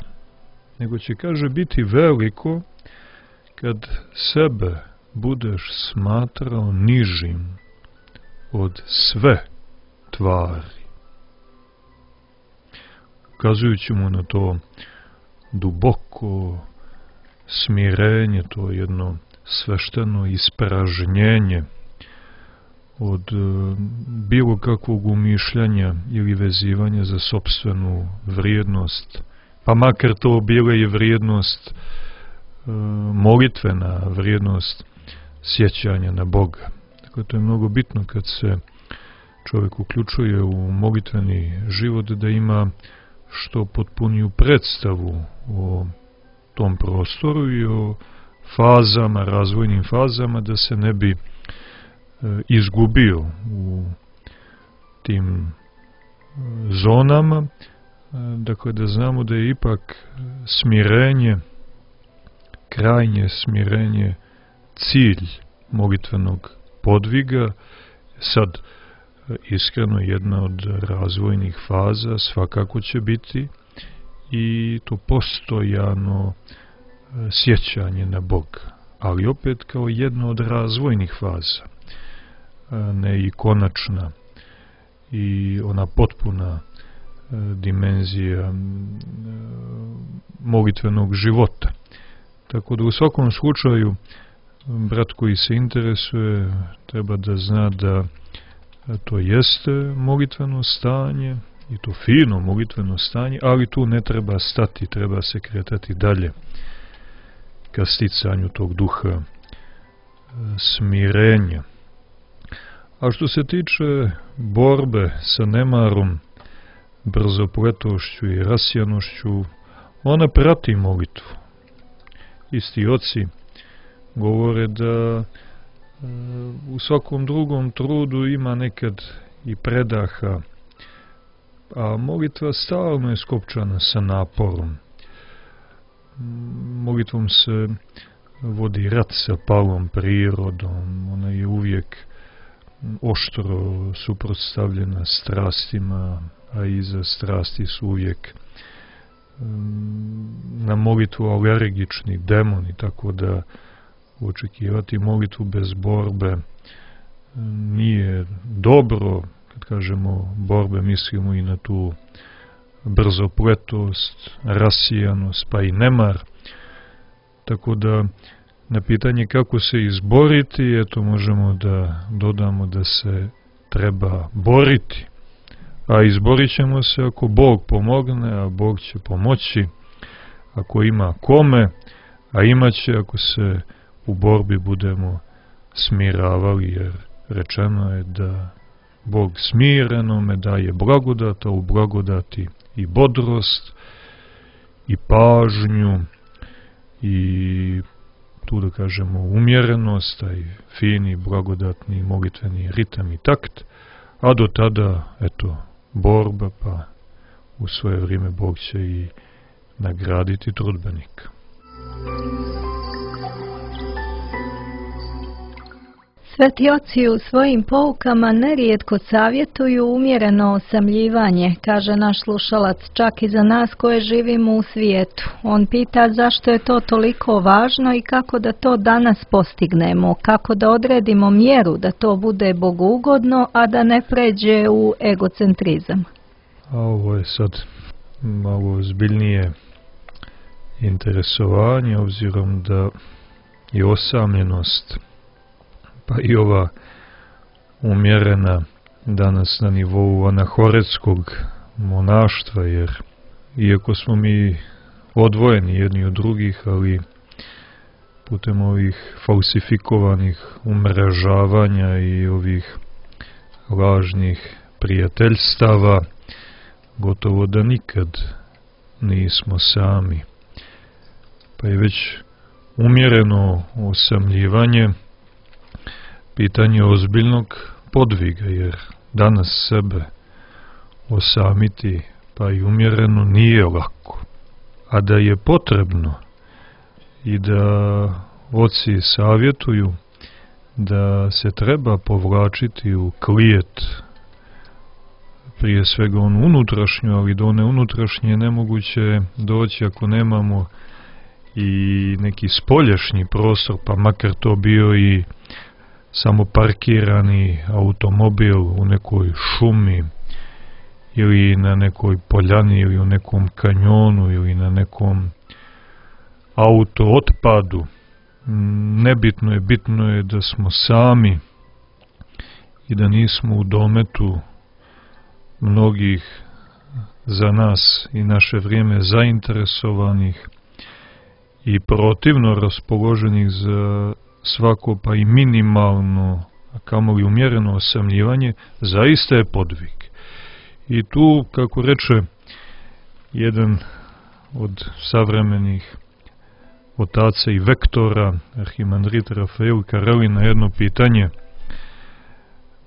nego će, kaže, biti veliko kad sebe budeš smatrao nižim od sve tvari. Ukazujući mu na to duboko smirenje, to jedno svešteno ispražnjenje od bilo kakvog umišljanja ili vezivanja za sopstvenu vrijednost, pa makar to bila i vrijednost e, molitvena, vrijednost sjećanja na Boga. Dakle, to je mnogo bitno kad se čovjek uključuje u molitveni život, da ima što potpuniju predstavu o tom prostoru i o fazama, razvojnim fazama, da se ne bi e, izgubio u tim e, zonama. E, dakle, da znamo da je ipak smirenje, krajnje smirenje, cilj molitvenog podviga. Sad, iskreno, jedna od razvojnih faza svakako će biti i to postojano sjećanje na Boga, ali opet kao jedna od razvojnih faza, ne i konačna i ona potpuna dimenzija molitvenog života. Tako da u svakom slučaju brat koji se interesuje treba da zna da to jeste molitveno stanje i to fino molitveno stanje, ali tu ne treba stati, treba se kretati dalje ka sticanju tog duha smirenja. A što se tiče borbe sa nemarom, brzopletošću i rasijanošću, ona prati molitvu. Isti oci govore da u svakom drugom trudu ima nekad i predaha, a molitva stalno je skopčana sa naporom. Molitvom se vodi rat sa palom prirodom, ona je uvijek oštro suprotstavljena strastima, a iza strasti su uvijek na molitvu alergični demoni, tako da očekivati molitvu bez borbe nije dobro. Kad kažemo borbe, mislimo i na tu brzopletost, rasijanost, pa i nemar. Tako da na pitanje kako se izboriti, eto možemo da dodamo da se treba boriti. A izborit ćemo se ako Bog pomogne, a Bog će pomoći ako ima kome, a imaće ako se u borbi budemo smiravali, jer rečeno je da Bog smirenome daje blagodat, a u blagodati i bodrost, i pažnju, i tu da kažemo umjerenost, taj fini, blagodatni, molitveni ritam i takt, a do tada, eto, borba, pa u svoje vrijeme Bog će i nagraditi trudbenika. Sveti oci u svojim poukama nerijetko savjetuju umjereno osamljivanje, kaže naš slušalac, čak i za nas koje živimo u svijetu. On pita zašto je to toliko važno i kako da to danas postignemo, kako da odredimo mjeru da to bude bogugodno, a da ne pređe u egocentrizam. A ovo je sad malo zbiljnije interesovanje, obzirom da je osamljenost pa i ova umjerena danas na nivou anahoretskog monaštva, jer iako smo mi odvojeni jedni od drugih, ali putem ovih falsifikovanih umrežavanja i ovih lažnih prijateljstava gotovo da nikad nismo sami. Pa je već umjereno osamljivanje pitanje ozbiljnog podviga, jer danas sebe osamiti pa i umjereno nije lako. A da je potrebno i da oci savjetuju da se treba povlačiti u klijet, prije svega onu unutrašnju, ali do one unutrašnje je nemoguće doći ako nemamo i neki spoljašnji prostor, pa makar to bio i samo parkirani automobil u nekoj šumi ili na nekoj poljani ili u nekom kanjonu ili na nekom auto otpadu. Nebitno je, bitno je da smo sami i da nismo u dometu mnogih za nas i naše vrijeme zainteresovanih i protivno raspoloženih za svako pa i minimalno, a kamoli umjereno osamljivanje, zaista je podvig. I tu, kako reče jedan od savremenih otaca i vektora, arhimandrit Rafael Kareli, na jedno pitanje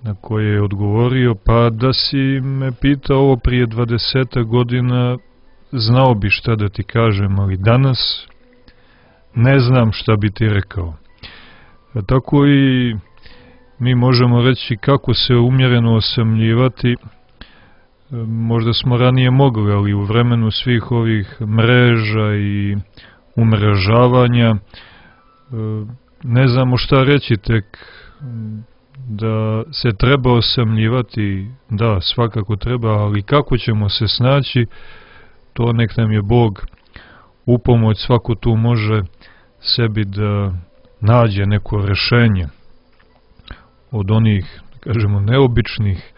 na koje je odgovorio, pa da si me pitao ovo prije dvadeset godina, znao bi šta da ti kažem, ali danas ne znam šta bi ti rekao. A tako i mi možemo reći kako se umjereno osamljivati. Možda smo ranije mogli, ali u vremenu svih ovih mreža i umrežavanja ne znamo šta reći, tek da se treba osamljivati, da, svakako treba, ali kako ćemo se snaći, to nek nam je Bog upomoć, svako tu može sebi da nađe neko rešenje od onih, da kažemo, neobičnih,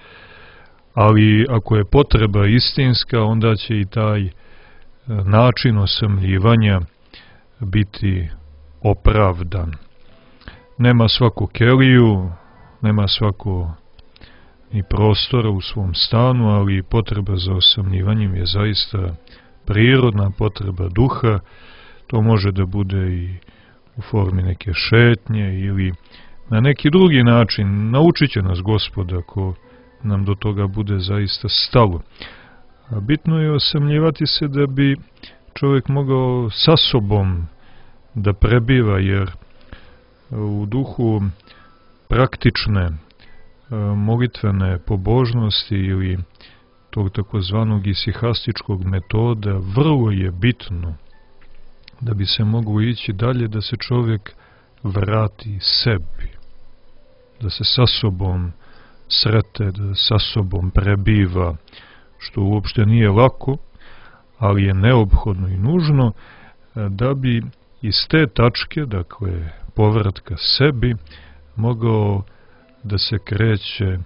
ali ako je potreba istinska, onda će i taj način osamljivanja biti opravdan. Nema svako keliju, nema svako ni prostora u svom stanu, ali potreba za osamljivanjem je zaista prirodna potreba duha. To može da bude i u formi neke šetnje ili na neki drugi način. Naučit će nas Gospod ako nam do toga bude zaista stalo. A bitno je osamljivati se da bi čovjek mogao sa sobom da prebiva, jer u duhu praktične molitvene pobožnosti ili tog takozvanog isihastičkog metoda vrlo je bitno da bi se moglo ići dalje, da se čovjek vrati sebi, da se sa sobom srete, da sa sobom prebiva, što uopšte nije lako, ali je neophodno i nužno da bi iz te tačke, dakle povratka sebi, mogao da se kreće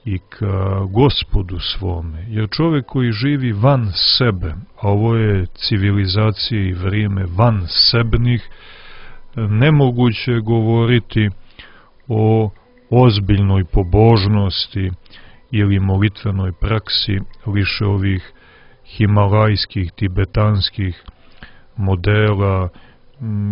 i ka Gospodu svome. Jer čovjek koji živi van sebe, a ovo je civilizacija i vrijeme van sebnih, nemoguće je govoriti o ozbiljnoj pobožnosti ili molitvenoj praksi više ovih himalajskih, tibetanskih modela,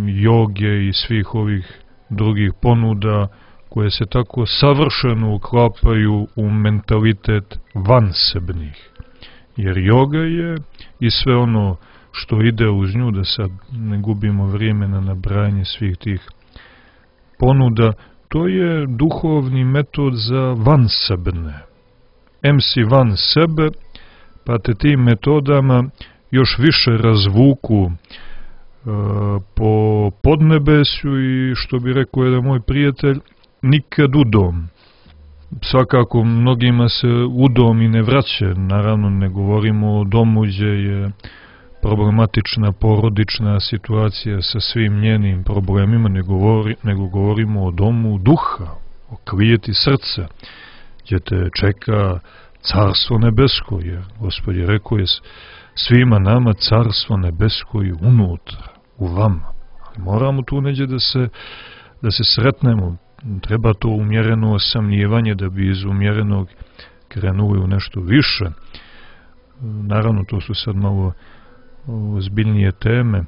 joge i svih ovih drugih ponuda koje se tako savršeno uklapaju u mentalitet vansebnih. Jer joga je i sve ono što ide uz nju, da sad ne gubimo vrijeme na nabrajanje svih tih ponuda, to je duhovni metod za vansebne. Em si van sebe, pa te tim metodama još više razvuku e, po podnebesju i, što bi rekao jedan moj prijatelj, nikad udom. Svakako mnogima se udom i ne vraća, naravno ne govorimo o domu gdje je problematična porodična situacija sa svim njenim problemima, nego, govori, nego govorimo o domu duha, o klijeti srca, gdje te čeka carstvo nebesko, jer Gospod je rekao je svima nama carstvo nebesko i unutra, u vama. Ali moramo tu neđe da se, da se sretnemo, treba to umjereno osamljivanje da bi iz umjerenog krenuli u nešto više. Naravno, to su sad malo ozbiljnije teme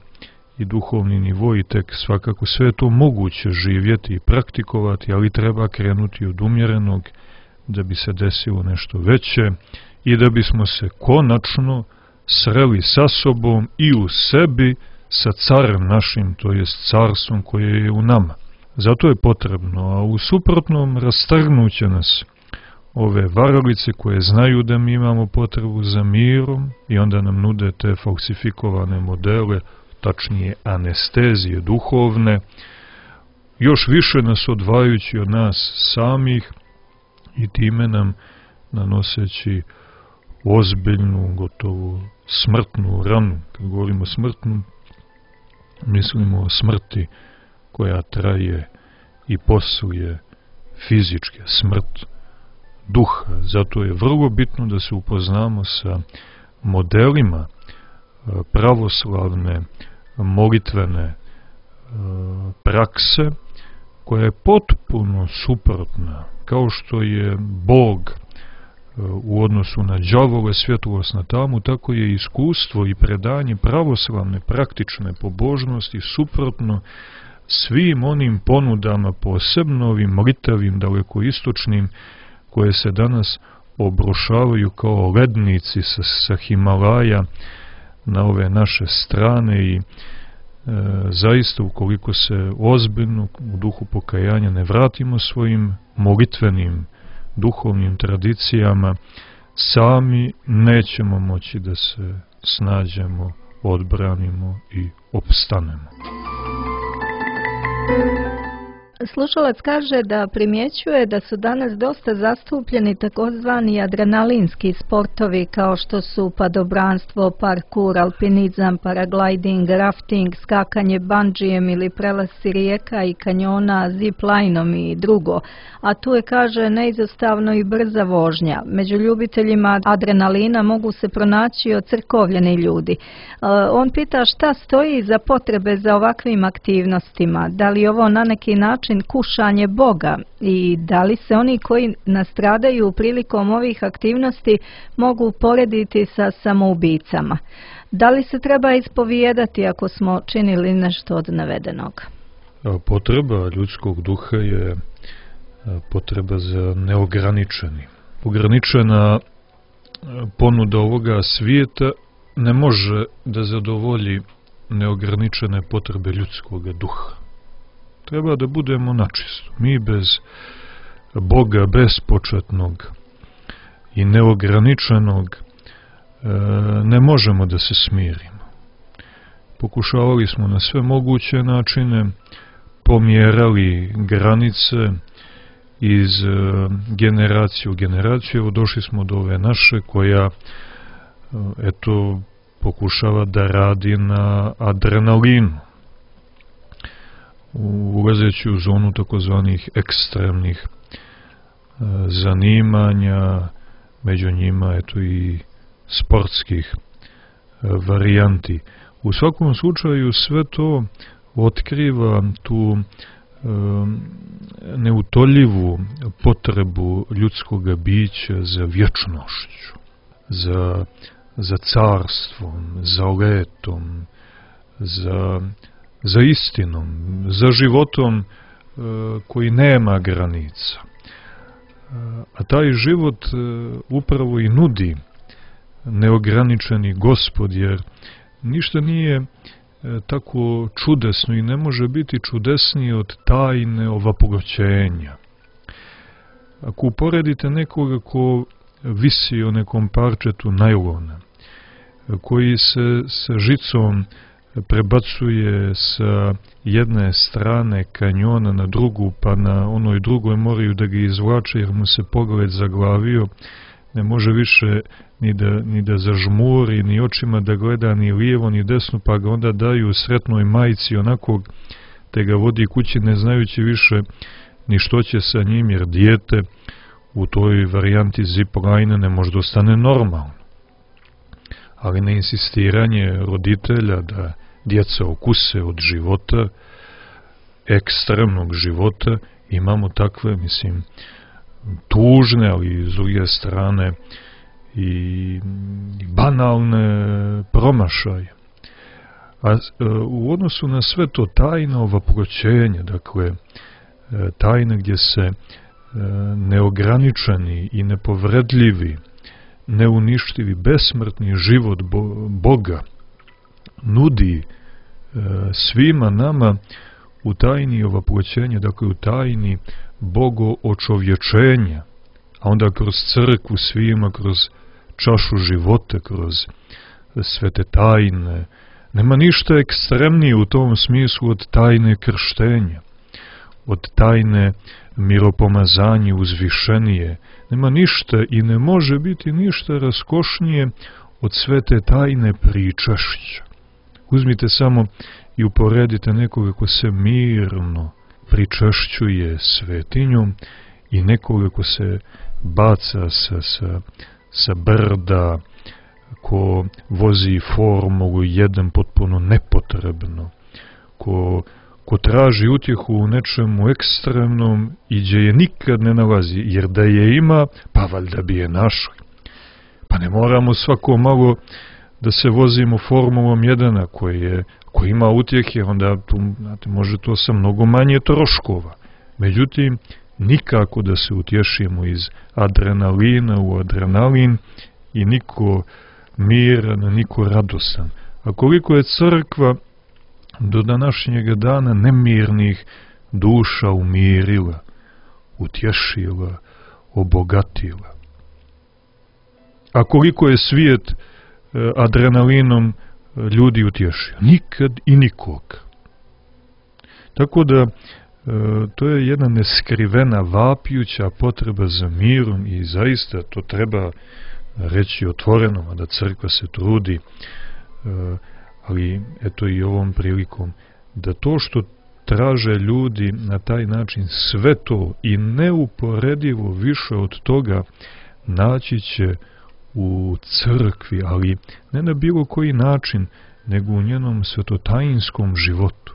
i duhovni nivo i tek svakako sve je to moguće živjeti i praktikovati, ali treba krenuti od umjerenog da bi se desilo nešto veće i da bismo se konačno sreli sa sobom i u sebi sa carem našim, to jest carstvom koje je u nama. Zato je potrebno, a u suprotnom rastrgnuće nas ove varalice koje znaju da mi imamo potrebu za mirom i onda nam nude te falsifikovane modele, tačnije anestezije duhovne, još više nas odvajajući od nas samih i time nam nanoseći ozbiljnu, gotovo smrtnu ranu. Kad govorimo smrtnu, mislimo o smrti koja traje i posluje fizičke, smrt duha. Zato je vrlo bitno da se upoznamo sa modelima pravoslavne molitvene prakse, koja je potpuno suprotna, kao što je Bog u odnosu na đavole svjetlost na tamu, tako je iskustvo i predanje pravoslavne praktične pobožnosti suprotno svim onim ponudama, posebno ovim molitavim dalekoistočnim, koje se danas obrušavaju kao lednici sa, sa Himalaja na ove naše strane i e, zaista ukoliko se ozbiljno u duhu pokajanja ne vratimo svojim molitvenim duhovnim tradicijama, sami nećemo moći da se snađemo, odbranimo i opstanemo. Slušalac kaže da primjećuje da su danas dosta zastupljeni takozvani adrenalinski sportovi kao što su padobranstvo, parkur, alpinizam, paragliding, rafting, skakanje bandžijem ili prelasci rijeka i kanjona zip-linom i drugo. A tu je, kaže, neizostavno i brza vožnja. Među ljubiteljima adrenalina mogu se pronaći ocrkovljeni ljudi. On pita šta stoji iza potrebe za ovakvim aktivnostima. Da li ovo na neki način kušanje Boga i da li se oni koji nastradaju prilikom ovih aktivnosti mogu porediti sa samoubicama? Da li se treba ispovijedati ako smo činili nešto od navedenog? Potreba ljudskog duha je potreba za neograničeni. Ograničena ponuda ovoga svijeta ne može da zadovolji neograničene potrebe ljudskog duha. Treba da budemo načisto. Mi bez Boga bespočetnog i neograničenog ne možemo da se smirimo. Pokušavali smo na sve moguće načine, pomjerali granice iz generacije u generaciju. Evo došli smo do ove naše koja eto pokušava da radi na adrenalinu, ulazeći u zonu takozvanih ekstremnih e, zanimanja, među njima eto i sportskih e, varijanti. U svakom slučaju sve to otkriva tu e, neutoljivu potrebu ljudskog bića za vječnošću, za, za carstvom, za letom, za za istinom, za životom e, koji nema granica. E, a taj život e, upravo i nudi neograničeni Gospod, jer ništa nije e, tako čudesno i ne može biti čudesnije od tajne ovaproćenja. Ako uporedite nekoga ko visi o nekom parčetu najlona, koji se sa žicom prebacuje sa jedne strane kanjona na drugu, pa na onoj drugoj moraju da ga izvlače jer mu se pogled zaglavio, ne može više ni da, ni da zažmuri, ni očima da gleda ni lijevo ni desno, pa ga onda daju sretnoj majci onako, te ga vodi kući ne znajući više ni što će sa njim, jer dijete u toj varijanti zipline ne može da ostane normalno. Ali na insistiranje roditelja da djeca okuse od života, ekstremnog života, imamo takve, mislim, tužne, ali s druge strane i banalne promašaje. A u odnosu na sve to tajno ovaproćenje, dakle, tajne gdje se neograničeni i nepovredljivi, neuništivi, besmrtni život Boga nudi svima nama u tajni ovaproćenja, dakle u tajni bogoočovječenja, a onda kroz crkvu svima, kroz čašu života, kroz sve te tajne. Nema ništa ekstremnije u tom smislu od tajne krštenja, od tajne miropomazanje uzvišenije. Nema ništa i ne može biti ništa raskošnije od sve te tajne pričašća. Uzmite samo i uporedite nekoga ko se mirno pričašćuje svetinjom i nekoga ko se baca sa, sa, sa brda, ko vozi formulu jedan potpuno nepotrebno, ko ko traži utjehu u nečemu ekstremnom i gdje je nikad ne nalazi, jer da je ima, pa valjda bi je našli. Pa ne moramo svako malo da se vozimo formulom jedana koji, je, koji ima utjehe, onda tu, znate, može to sa mnogo manje troškova. Međutim, nikako da se utješimo iz adrenalina u adrenalin i niko miran, niko radostan. A koliko je crkva do današnjega dana nemirnih duša umirila, utješila, obogatila. A koliko je svijet adrenalinom ljudi utješio? Nikad i nikog. Tako da to je jedna neskrivena, vapijuća potreba za mirom i zaista to treba reći otvoreno, a da crkva se trudi, ali eto i ovom prilikom, da to što traže ljudi na taj način, sve to i neuporedivo više od toga naći će u crkvi, ali ne na bilo koji način, nego u njenom svetotajinskom životu.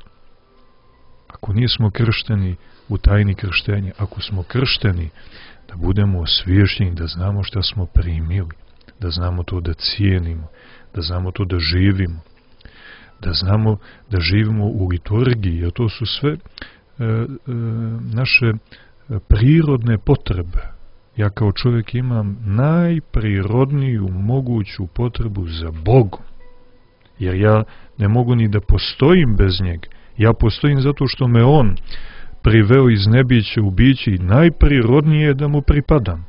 Ako nismo kršteni u tajni krštenja, ako smo kršteni, da budemo osvješteni, da znamo šta smo primili, da znamo to da cijenimo, da znamo to da živimo, da znamo da živimo u liturgiji, a to su sve e, e, naše prirodne potrebe. Ja kao čovjek imam najprirodniju moguću potrebu za Bogom, jer ja ne mogu ni da postojim bez njega. Ja postojim zato što me On priveo iz nebića u biće i najprirodnije je da mu pripadam.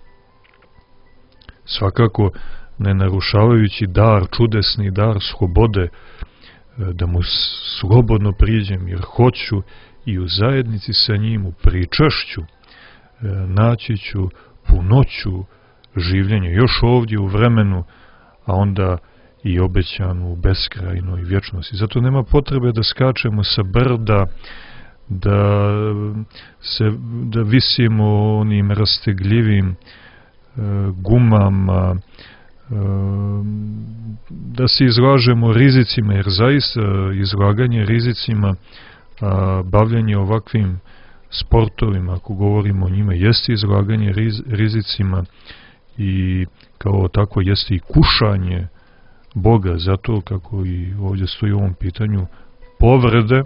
Svakako ne narušavajući dar, čudesni dar slobode, da mu slobodno priđem, jer hoću i u zajednici sa njim, u pričašću, naći ću punoću življenja, još ovdje u vremenu, a onda i obećanu u beskrajnoj vječnosti. Zato nema potrebe da skačemo sa brda, da, se, da visimo onim rastegljivim e, gumama, e, da se izlažemo rizicima, jer zaista izlaganje rizicima, a, bavljanje ovakvim sportovima, ako govorimo o njima, jeste izlaganje riz, rizicima i kao tako jeste i kušanje Boga, zato kako i ovdje stoji u ovom pitanju, povrede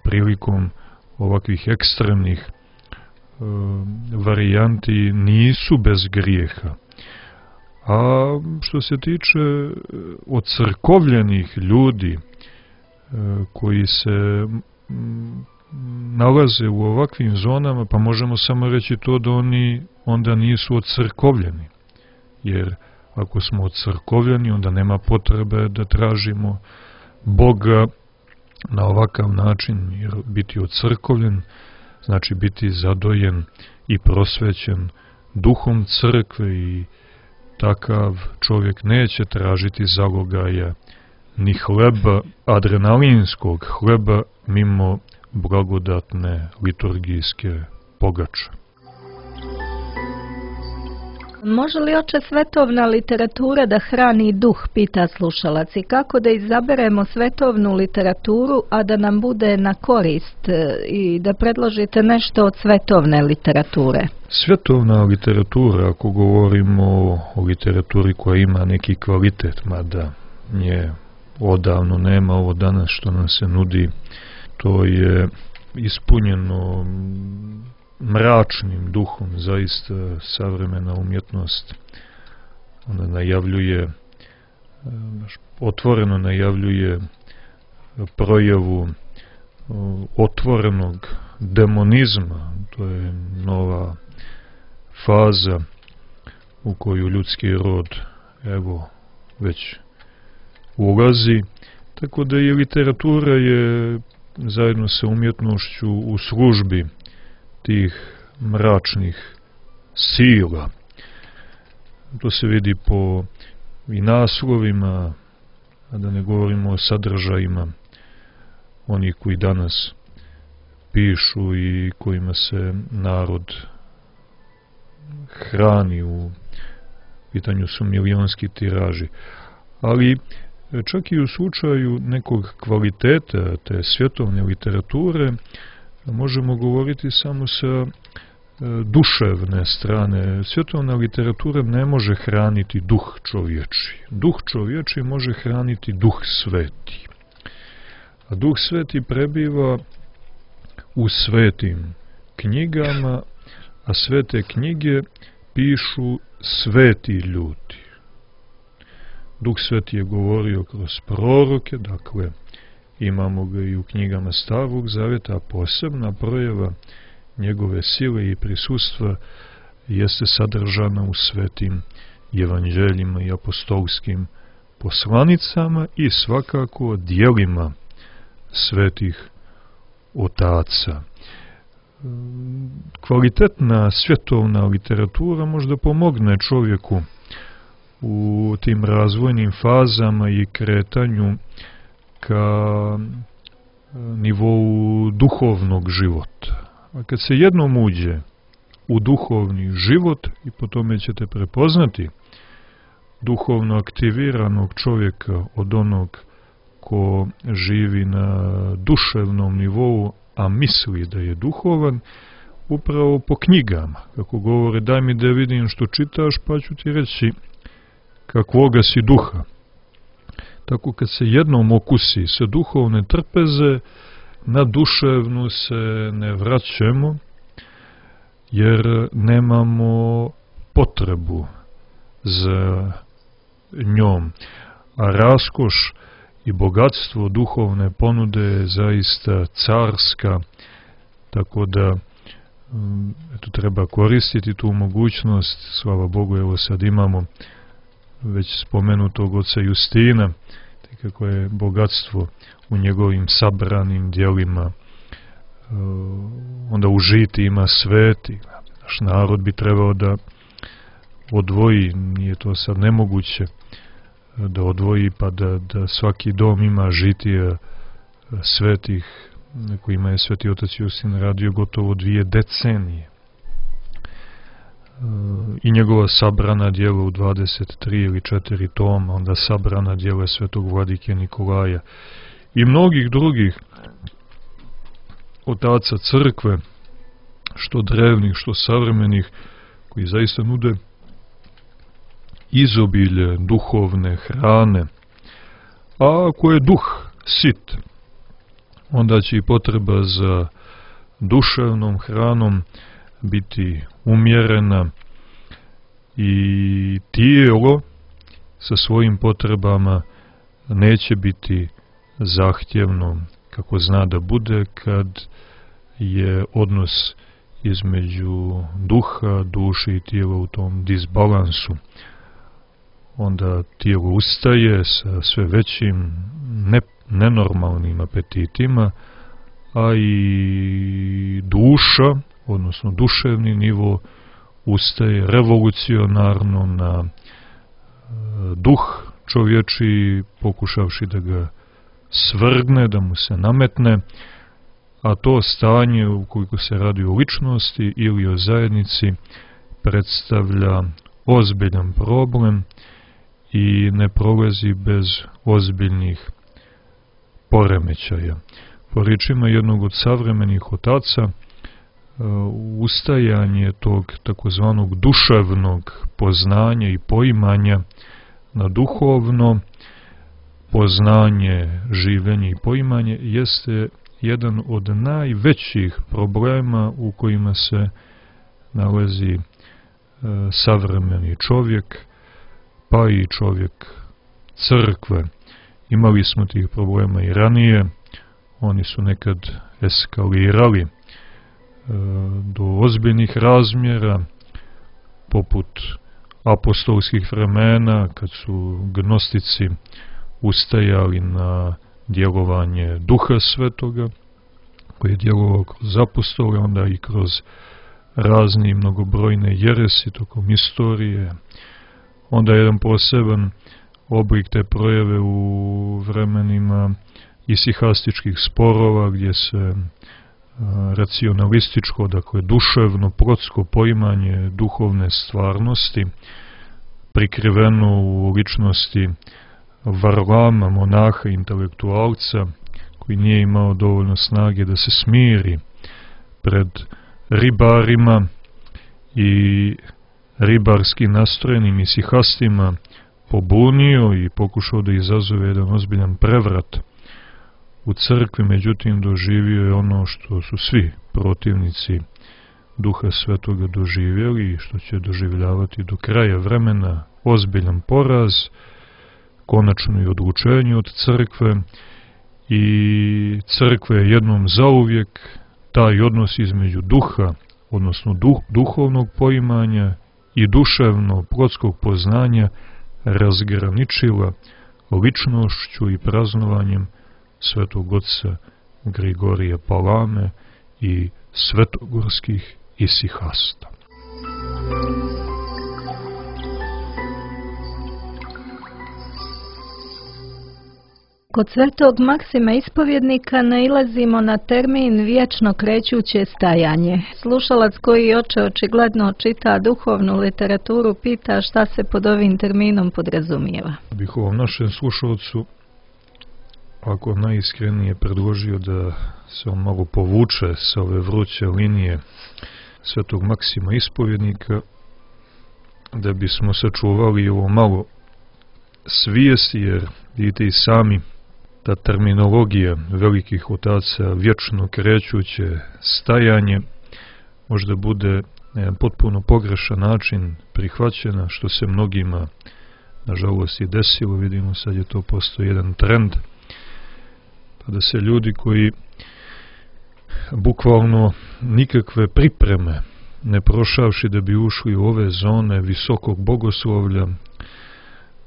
prilikom ovakvih ekstremnih e, varijanti nisu bez grijeha, A što se tiče ocrkovljenih ljudi koji se nalaze u ovakvim zonama, pa možemo samo reći to da oni onda nisu ocrkovljeni. Jer ako smo ocrkovljeni, onda nema potrebe da tražimo Boga na ovakav način, jer biti ocrkovljen znači biti zadojen i prosvećen duhom crkve i takav čovjek neće tražiti zalogaja ni hleba, adrenalinskog hleba, mimo blagodatne liturgijske pogače. Može li, oče, svetovna literatura da hrani duh, pita slušalac, i kako da izaberemo svetovnu literaturu, a da nam bude na korist, i da predložite nešto od svetovne literature? Svetovna literatura, ako govorimo o literaturi koja ima neki kvalitet, mada nje odavno nema, ovo danas što nam se nudi, to je ispunjeno mračnim duhom, zaista savremena umjetnost. Ona najavljuje, otvoreno najavljuje projavu otvorenog demonizma. To je nova faza u koju ljudski rod evo već ulazi, tako da i literatura je zajedno sa umjetnošću u službi tih mračnih sila. To se vidi po i naslovima, a da ne govorimo o sadržajima onih koji danas pišu i kojima se narod hrani. U pitanju su milionski tiraži. Ali čak i u slučaju nekog kvaliteta te svjetovne literature možemo govoriti samo sa duševne strane. Svjetovna literatura ne može hraniti duh čovječi. Duh čovječi može hraniti duh sveti. A duh sveti prebiva u svetim knjigama, a svete knjige pišu sveti ljudi. Duh sveti je govorio kroz proroke, dakle imamo ga i u knjigama Starog Zavjeta, a posebna projava njegove sile i prisustva jeste sadržana u svetim evanđeljima i apostolskim poslanicama i svakako djelima svetih otaca. Kvalitetna svjetovna literatura možda pomogne čovjeku u tim razvojnim fazama i kretanju ka nivou duhovnog života. A kad se jednom uđe u duhovni život, i po tome ćete prepoznati duhovno aktiviranog čovjeka od onog ko živi na duševnom nivou, a misli da je duhovan, upravo po knjigama. Kako govore, daj mi da vidim što čitaš, pa ću ti reći kakvoga si duha. Tako kad se jednom okusi sa duhovne trpeze, na duševnu se ne vraćamo, jer nemamo potrebu za njom. A raskoš i bogatstvo duhovne ponude je zaista carska, tako da eto, treba koristiti tu mogućnost. Slava Bogu, evo sad imamo već spomenutog oca Justina, kako je bogatstvo u njegovim sabranim djelima, onda u žiti ima sveti. Naš narod bi trebao da odvoji, nije to sad nemoguće, da odvoji pa da, da svaki dom ima žitija svetih, kojima je sveti otac Justin radio gotovo dvije decenije. I njegova sabrana djela u dvadeset tri ili četiri toma, onda sabrana djela svetog vladike Nikolaja i mnogih drugih otaca crkve, što drevnih, što savremenih, koji zaista nude izobilje duhovne hrane. A ako je duh sit, onda će i potreba za duševnom hranom biti umjerena i tijelo sa svojim potrebama neće biti zahtjevno kako zna da bude kad je odnos između duha, duše i tijela u tom disbalansu. Onda tijelo ustaje sa sve većim ne, nenormalnim apetitima, a i duša, odnosno duševni nivo, ustaje revolucionarno na e, duh čovječi, pokušavši da ga svrgne, da mu se nametne, a to stanje, ukoliko se radi o ličnosti ili o zajednici, predstavlja ozbiljan problem i ne prolazi bez ozbiljnih poremećaja. Po riječima jednog od savremenih otaca, ustajanje tog takozvanog duševnog poznanja i poimanja na duhovno poznanje, življenje i poimanje jeste jedan od najvećih problema u kojima se nalazi e, savremeni čovjek, pa i čovjek crkve. Imali smo tih problema i ranije, oni su nekad eskalirali e, do ozbiljnih razmjera, poput apostolskih vremena, kad su gnostici ustajali na djelovanje Duha Svetoga, koji je djelovao kroz apostole, onda i kroz razni mnogobrojne jeresi tokom istorije. Onda je jedan poseban oblik te projave u vremenima isihastičkih sporova, gdje se racionalističko, dakle duševno, protsko poimanje duhovne stvarnosti, prikriveno u ličnosti Varlama, monaha, intelektualca, koji nije imao dovoljno snage da se smiri pred ribarima i ribarski nastrojenim isihastima, pobunio i pokušao da izazove jedan ozbiljan prevrat u crkvi, međutim doživio je ono što su svi protivnici Duha Svetoga doživjeli i što će doživljavati do kraja vremena, ozbiljan poraz, konačno i odlučenje od crkve, i crkva je jednom zauvijek taj odnos između duha, odnosno duh, duhovnog poimanja i duševnog protskog poznanja razgraničila ličnošću i praznovanjem svetog oca Grigorija Palame i svetogorskih isihasta. Kod svetog Maksima Ispovjednika nailazimo na termin vječno krećuće stajanje. Slušalac koji oče očigledno čita duhovnu literaturu pita šta se pod ovim terminom podrazumijeva. Bih ovom našem slušalcu, ako najiskrenije, predložio da se on malo povuče sa ove vruće linije svetog Maksima Ispovjednika, da bismo sačuvali ovo malo svijesti, jer vidite i sami, ta terminologija velikih otaca, vječno krećuće stajanje, možda bude na jedan potpuno pogrešan način prihvaćena, što se mnogima nažalost i desilo. Vidimo, sad je to postao jedan trend, pa da se ljudi koji bukvalno nikakve pripreme ne prošavši da bi ušli u ove zone visokog bogoslovlja,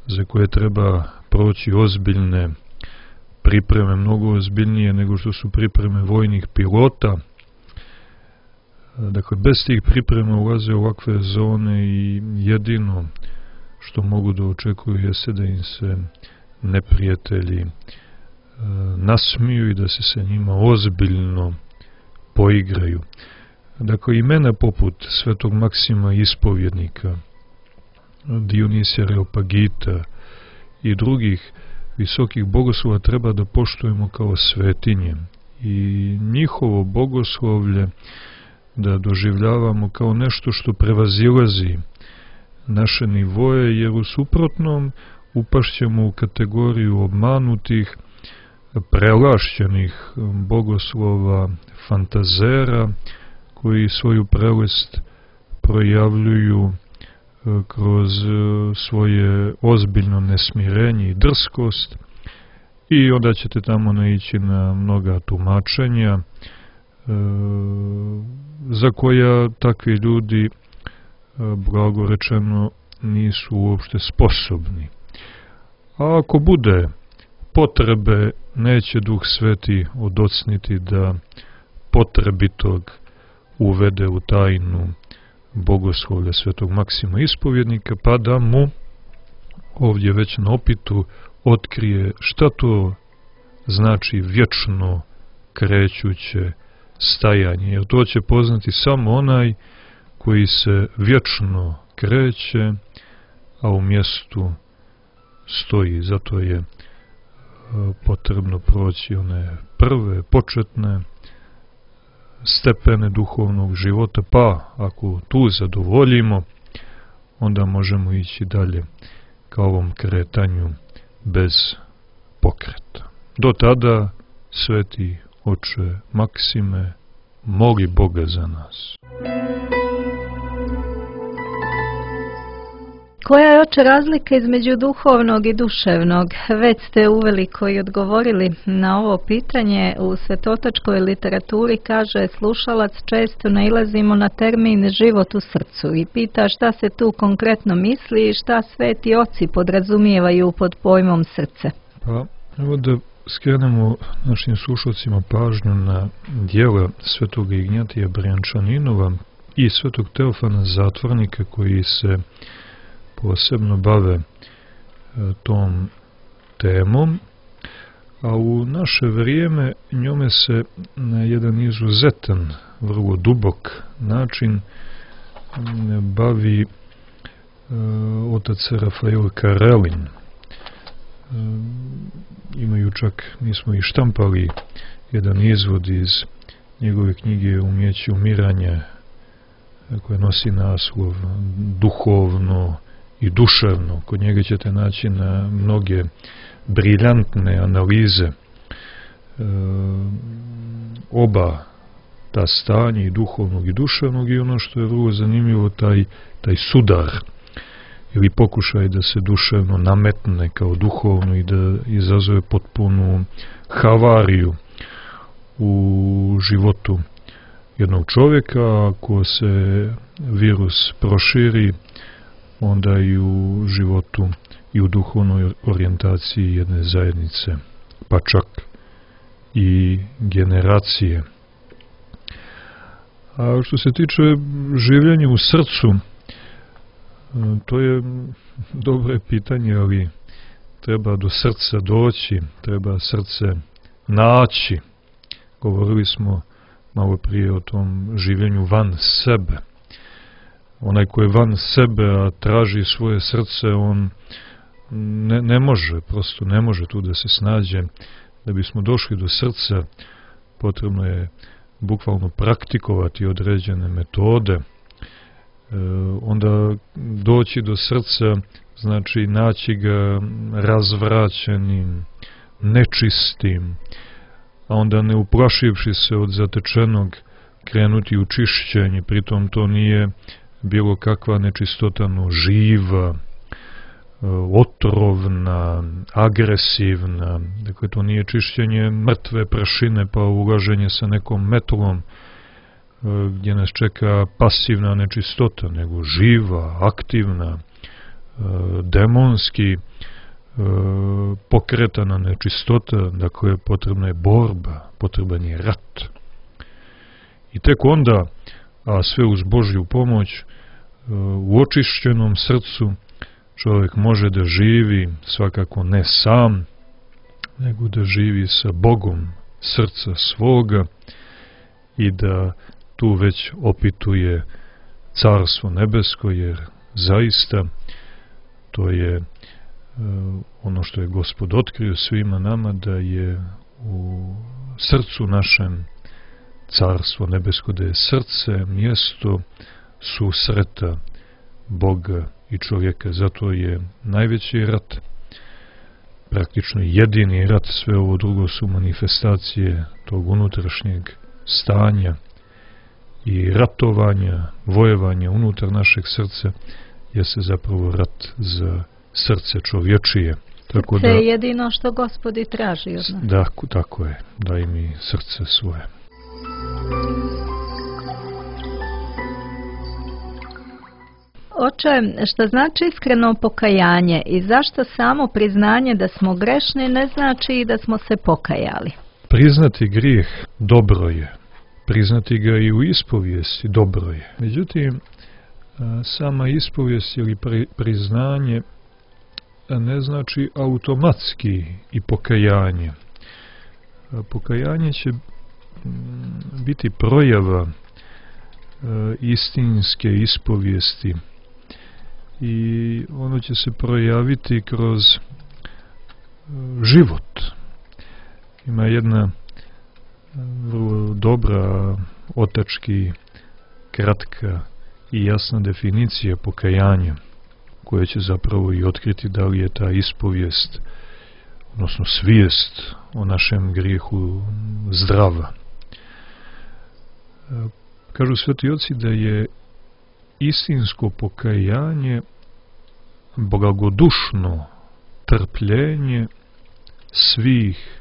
za koje treba proći ozbiljne pripreme, mnogo ozbiljnije nego što su pripreme vojnih pilota. Dakle, bez tih priprema ulaze u ovakve zone i jedino što mogu da očekuju jeste da im se neprijatelji nasmiju i da se sa njima ozbiljno poigraju. Dakle, imena poput svetog Maksima Ispovjednika, Dionisija Areopagita i drugih visokih bogoslova treba da poštujemo kao svetinje i njihovo bogoslovlje da doživljavamo kao nešto što prevazilazi naše nivoje, jer u suprotnom upašćemo u kategoriju obmanutih, prelašćenih bogoslova, fantazera koji svoju prelest projavljuju kroz svoje ozbiljno nesmirenje i drskost, i onda ćete tamo naići na mnoga tumačenja e, za koja takvi ljudi, e, blago rečeno, nisu uopšte sposobni. A ako bude potrebe, neće Duh Sveti odocniti da potrebitog uvede u tajnu bogoslovlja svetog Maksima Ispovjednika, pa da mu ovdje već na opitu otkrije šta to znači vječno krećuće stajanje, jer to će poznati samo onaj koji se vječno kreće, a u mjestu stoji. Zato je potrebno proći one prve, početne stepene duhovnog života, pa ako tu zadovoljimo, onda možemo ići dalje ka ovom kretanju bez pokreta. Do tada, sveti oče Maksime, moli Boga za nas. Koja je, oče, razlika između duhovnog i duševnog? Već ste uveliko i odgovorili na ovo pitanje. U svetotačkoj literaturi, kaže slušalac, često nailazimo na termin život u srcu i pita šta se tu konkretno misli i šta sveti oci podrazumijevaju pod pojmom srce. Pa, evo da skrenemo našim slušalcima pažnju na djela svetog Ignjatija Brijančaninova i svetog Teofana Zatvornika, koji se posebno bave e, tom temom, a u naše vrijeme njome se na jedan izuzetan, vrlo dubok način bavi e, otac Rafael Karelin. E, imaju čak, mi smo i štampali jedan izvod iz njegove knjige Umjeće umiranja, koja nosi naslov Duhovno i duševno. Kod njega ćete naći na mnoge briljantne analize e, oba ta stanja, i duhovnog i duševnog, i ono što je vrlo zanimljivo, taj, taj sudar ili pokušaj da se duševno nametne kao duhovno i da izazove potpunu havariju u životu jednog čovjeka. Ako se virus proširi, onda i u životu i u duhovnoj orijentaciji jedne zajednice, pa čak i generacije. A što se tiče življenja u srcu, to je dobro pitanje, ali treba do srca doći, treba srce naći. Govorili smo malo prije o tom življenju van sebe. Onaj koji je van sebe, a traži svoje srce, on ne, ne može, prosto ne može tu da se snađe. Da bismo došli do srca, potrebno je bukvalno praktikovati određene metode. E, onda doći do srca znači naći ga razvraćenim, nečistim, a onda ne uplašivši se od zatečenog krenuti u čišćenje. Pritom to nije bilo kakva nečistota, no živa, otrovna, agresivna. Dakle, to nije čišćenje mrtve prašine pa ulaženje sa nekom metlom gdje nas čeka pasivna nečistota, nego živa, aktivna, demonski pokretana nečistota. Dakle, potrebna je borba, potreban je rat. I tek onda, a sve uz Božju pomoć, u očišćenom srcu čovjek može da živi, svakako ne sam, nego da živi sa Bogom srca svoga i da tu već opituje Carstvo nebesko, jer zaista to je ono što je Gospod otkrio svima nama, da je u srcu našem Carstvo nebesko, da je srce mjesto susreta Boga i čovjeka. Zato je najveći rat, praktično jedini rat, sve ovo drugo su manifestacije tog unutrašnjeg stanja i ratovanja, vojevanja unutar našeg srca, jeste zapravo rat za srce čovječije. Tako srce da, je jedino što Gospod i traži od nas. Da, tako je. Daj mi srce svoje. Oče, što znači iskreno pokajanje i zašto samo priznanje da smo grešni ne znači i da smo se pokajali? Priznati grijeh dobro je. Priznati ga i u ispovijesti dobro je. Međutim, sama ispovijest ili priznanje ne znači automatski i pokajanje. Pokajanje će biti projava istinske ispovijesti i ono će se projaviti kroz život. Ima jedna vrlo dobra, otački, kratka i jasna definicija pokajanja, koja će zapravo i otkriti da li je ta ispovijest, odnosno svijest o našem grijehu zdrava. Kažu sveti oci da je istinsko pokajanje blagodušno trpljenje svih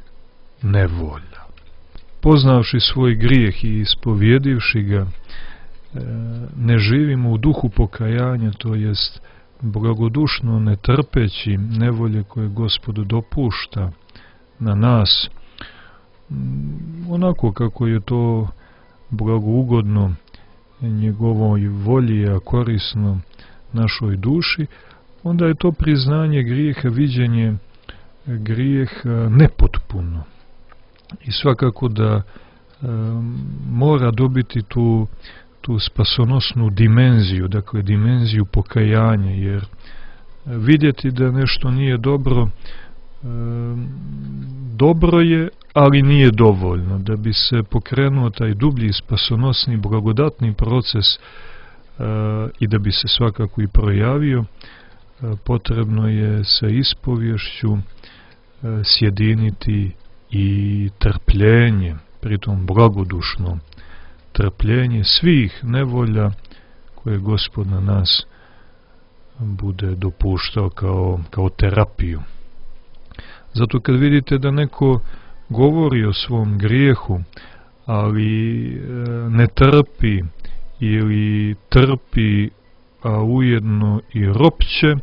nevolja. Poznavši svoj grijeh i ispovjedivši ga, ne živimo u duhu pokajanja, to jest blagodušno ne trpeći nevolje koje Gospod dopušta na nas, onako kako je to blagougodno njegovoj volji, a korisno našoj duši, onda je to priznanje grijeha, viđenje grijeha nepotpuno. I svakako da e, mora dobiti tu, tu spasonosnu dimenziju, dakle dimenziju pokajanja, jer vidjeti da nešto nije dobro, e, dobro je, ali nije dovoljno. Da bi se pokrenuo taj dublji, spasonosni, blagodatni proces e, i da bi se svakako i projavio, e, potrebno je sa ispovješću e, sjediniti i trpljenje, pritom blagodušno trpljenje svih nevolja koje Gospod na nas bude dopuštao kao, kao terapiju. Zato kad vidite da neko govori o svom grijehu, ali ne trpi ili trpi, a ujedno i ropće,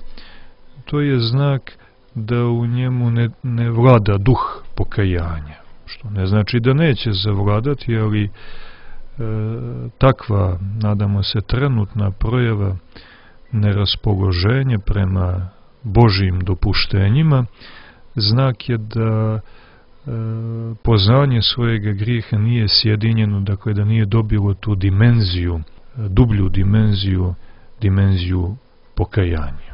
to je znak da u njemu ne, ne vlada duh pokajanja. Što ne znači da neće zavladati, ali e, takva, nadamo se, trenutna projava neraspoloženja prema Božjim dopuštenjima, znak je da e, poznanje svojega grijeha nije sjedinjeno, dakle da nije dobilo tu dimenziju, dublju dimenziju, dimenziju pokajanja.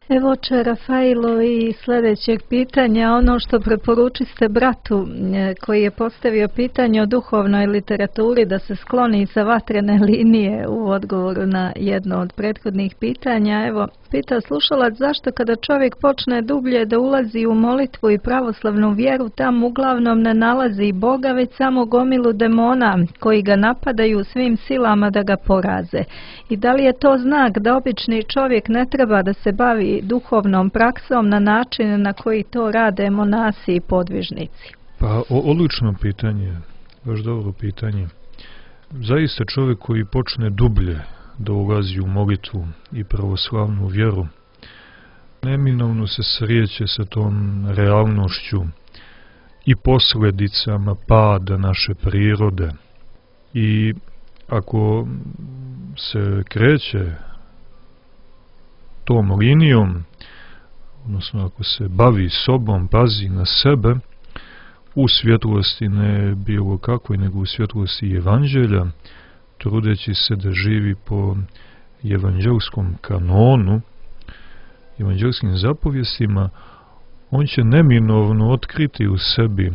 Evo oče Rafailo i sljedećeg pitanja, ono što preporučiste bratu koji je postavio pitanje o duhovnoj literaturi da se skloni sa vatrene linije u odgovoru na jedno od prethodnih pitanja. Evo, pita slušalac zašto kada čovjek počne dublje da ulazi u molitvu i pravoslavnu vjeru, tam uglavnom ne nalazi Boga, već samo gomilu demona koji ga napadaju svim silama da ga poraze. I da li je to znak da obični čovjek ne treba da se bavi duhovnom praksom na način na koji to rade monasi i podvižnici? Pa, odlično pitanje, baš dobro pitanje. Zaista čovjek koji počne dublje da ulazi u molitvu i pravoslavnu vjeru, neminovno se sreće sa tom realnošću i posljedicama pada naše prirode. I ako se kreće tom linijom, odnosno ako se bavi sobom, pazi na sebe, u svjetlosti ne bilo kakvoj, nego u svjetlosti evanđelja, trudeći se da živi po evanđelskom kanonu, evanđelskim zapovjestima, on će neminovno otkriti u sebi e,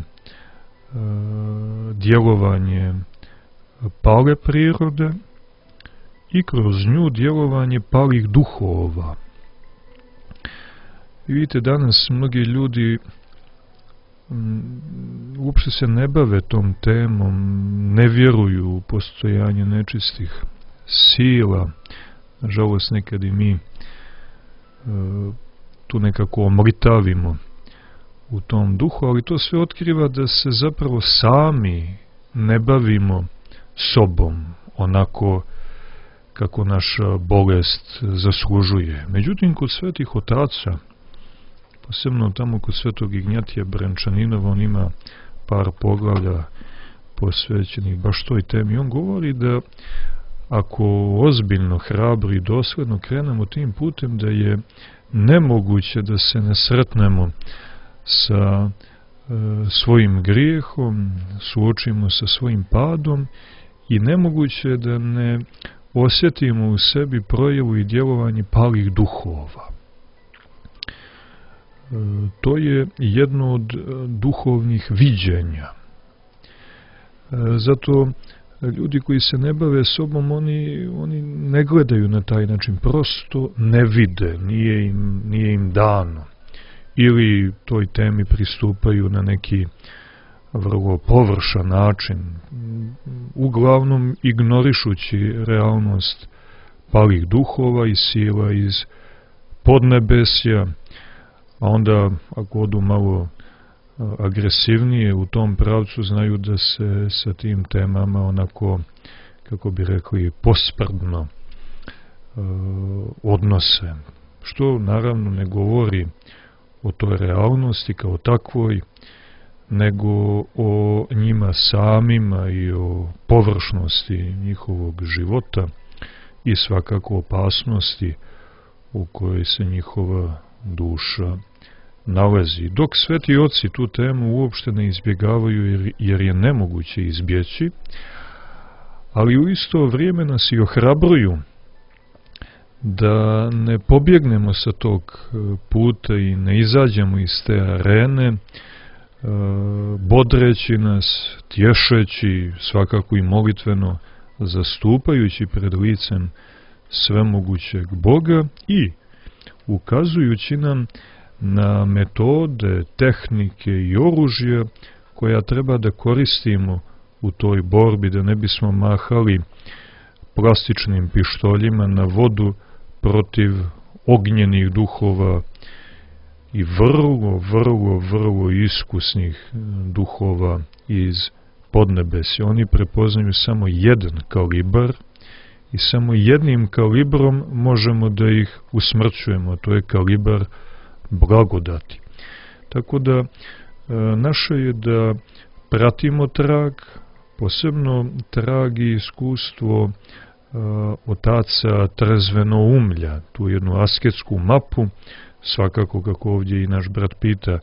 djelovanje pale prirode i kroz nju djelovanje palih duhova. I vidite, danas mnogi ljudi m, uopšte se ne bave tom temom, ne vjeruju u postojanje nečistih sila. Nažalost, nekad i mi e, tu nekako omritavimo u tom duhu, ali to sve otkriva da se zapravo sami ne bavimo sobom onako kako naša bolest zaslužuje. Međutim, kod svetih otaca, posebno tamo kod svetog Ignjatija Brenčaninova, on ima par poglavlja posvećenih baš toj temi. On govori da ako ozbiljno, hrabro i dosledno krenemo tim putem, da je nemoguće da se ne sretnemo sa e, svojim grijehom, suočimo sa svojim padom i nemoguće je da ne osjetimo u sebi projavu i djelovanje palih duhova. E, to je jedno od duhovnih viđenja. E, zato ljudi koji se ne bave sobom, oni, oni ne gledaju na taj način, prosto ne vide, nije im, nije im dano. Ili toj temi pristupaju na neki vrlo površan način, uglavnom ignorišući realnost palih duhova i sila iz podnebesja, a onda ako odu malo agresivnije u tom pravcu, znaju da se sa tim temama onako, kako bi rekli, posprdno uh, odnose. Što naravno ne govori o toj realnosti kao takvoj, nego o njima samima i o površnosti njihovog života i svakako opasnosti u kojoj se njihova duša nalazi. Dok sveti oci tu temu uopšte ne izbjegavaju jer, jer je nemoguće izbjeći, ali u isto vrijeme nas i ohrabruju da ne pobjegnemo sa tog puta i ne izađemo iz te arene, bodreći nas, tješeći, svakako i molitveno zastupajući pred licem svemogućeg Boga i ukazujući nam na metode, tehnike i oružje koja treba da koristimo u toj borbi, da ne bismo mahali plastičnim pištoljima na vodu protiv ognjenih duhova i vrlo, vrlo, vrlo iskusnih duhova iz podnebesja. Oni prepoznaju samo jedan kalibar i samo jednim kalibrom možemo da ih usmrćujemo, to je kalibar blagodati. Tako da e, naše je da pratimo trag, posebno trag i iskustvo e, otaca trezvenoumlja, tu jednu asketsku mapu, svakako kako ovdje i naš brat pita,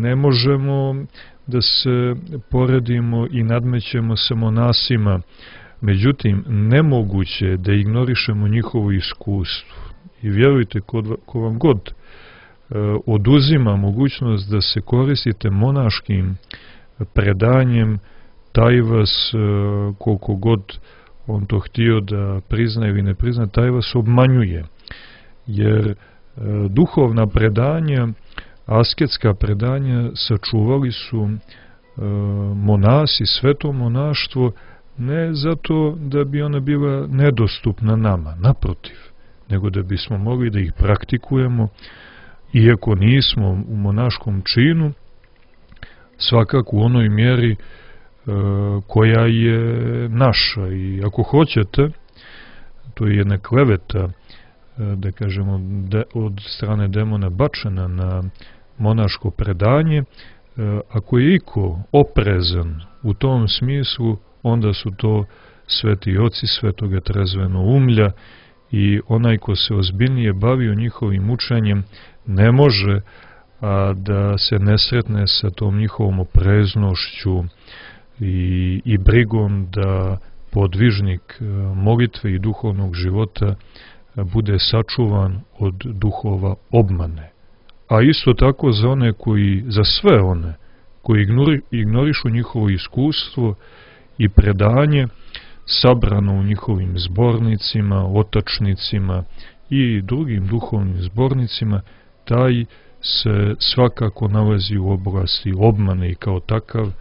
ne možemo da se poredimo i nadmećemo sa monasima, međutim nemoguće je da ignorišemo njihovo iskustvo. I vjerujte, ko vam god e, oduzima mogućnost da se koristite monaškim predanjem, taj vas, e, koliko god on to htio da prizna ili ne prizna, taj vas obmanjuje. Jer e, duhovna predanja, asketska predanja sačuvali su e, monasi, sveto monaštvo, ne zato da bi ona bila nedostupna nama, naprotiv, nego da bismo mogli da ih praktikujemo, iako nismo u monaškom činu, svakako u onoj mjeri e, koja je naša. I ako hoćete, to je jedna kleveta, e, da kažemo, de, od strane demona bačena na monaško predanje, e, ako je iko oprezan u tom smislu, onda su to sveti oci svetoga trezvenoumlja, i onaj ko se ozbiljnije bavio njihovim učenjem ne može a, da se ne sretne sa tom njihovom opreznošću i, i brigom da podvižnik a, molitve i duhovnog života a, bude sačuvan od duhova obmane. A isto tako za one koji, za sve one koji ignori, ignorišu njihovo iskustvo i predanje sabrano u njihovim zbornicima, otačnicima i drugim duhovnim zbornicima, taj se svakako nalazi u oblasti obmane i kao takav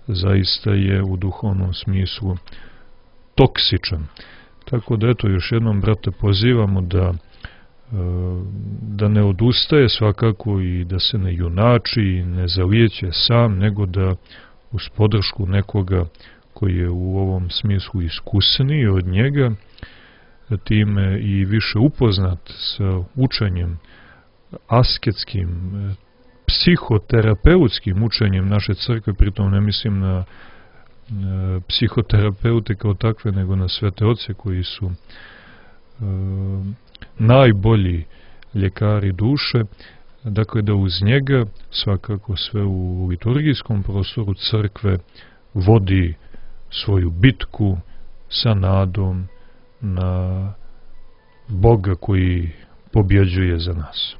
zaista je u duhovnom smislu toksičan. Tako da eto, još jednom, brate, pozivamo da da ne odustaje svakako i da se ne junači i ne zalijeće sam, nego da uz podršku nekoga koji je u ovom smislu iskusniji od njega, time i više upoznat sa učenjem asketskim, psihoterapeutskim učenjem naše crkve, pritom ne mislim na psihoterapeute kao takve, nego na svete oce koji su e, najbolji ljekari duše, dakle da uz njega svakako sve u liturgijskom prostoru crkve vodi svoju bitku sa nadom na Boga koji pobjeđuje za nas.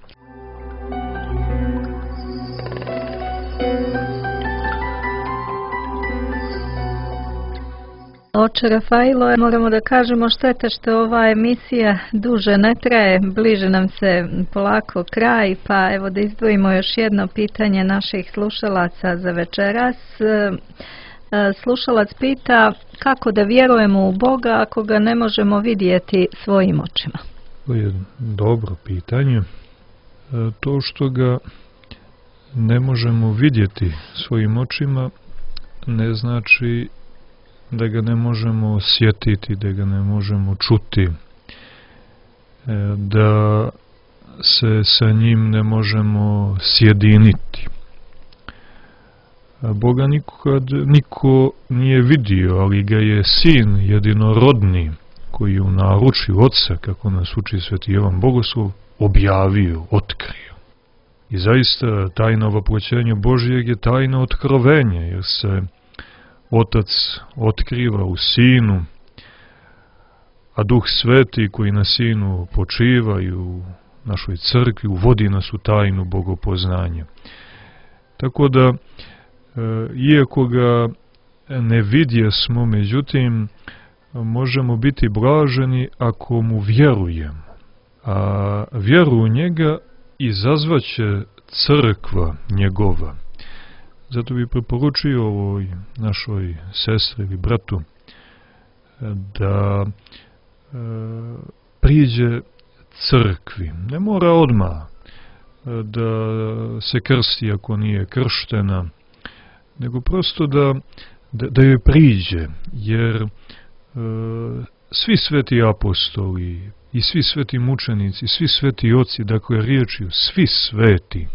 Oče Rafailo, moramo da kažemo šteta što ova emisija duže ne traje, bliže nam se polako kraj, pa evo da izdvojimo još jedno pitanje naših slušalaca za večeras. Slušalac pita kako da vjerujemo u Boga ako ga ne možemo vidjeti svojim očima. To je dobro pitanje. To što ga ne možemo vidjeti svojim očima ne znači da ga ne možemo osjetiti, da ga ne možemo čuti, da se sa njim ne možemo sjediniti. Boga nikad niko nije vidio, ali ga je sin jedinorodni, koji je u naručju Otca, kako nas uči Sveti Jovan Bogoslov, objavio, otkrio. I zaista tajna voproćenja Božijeg je tajna otkrovenja, jer se Otac otkriva u Sinu, a Duh Sveti koji na Sinu počiva i u našoj crkvi uvodi nas u tajnu bogopoznanja. Tako da, iako ga ne vidjesmo, međutim, možemo biti blaženi ako mu vjerujemo. A vjeru u njega izazvaće crkva njegova. Zato bi preporučio ovoj našoj sestri ili bratu da e, priđe crkvi. Ne mora odmah da se krsti ako nije krštena, nego prosto da, da, da joj priđe, jer e, svi sveti apostoli i svi sveti mučenici, svi sveti oci, dakle riječju svi sveti,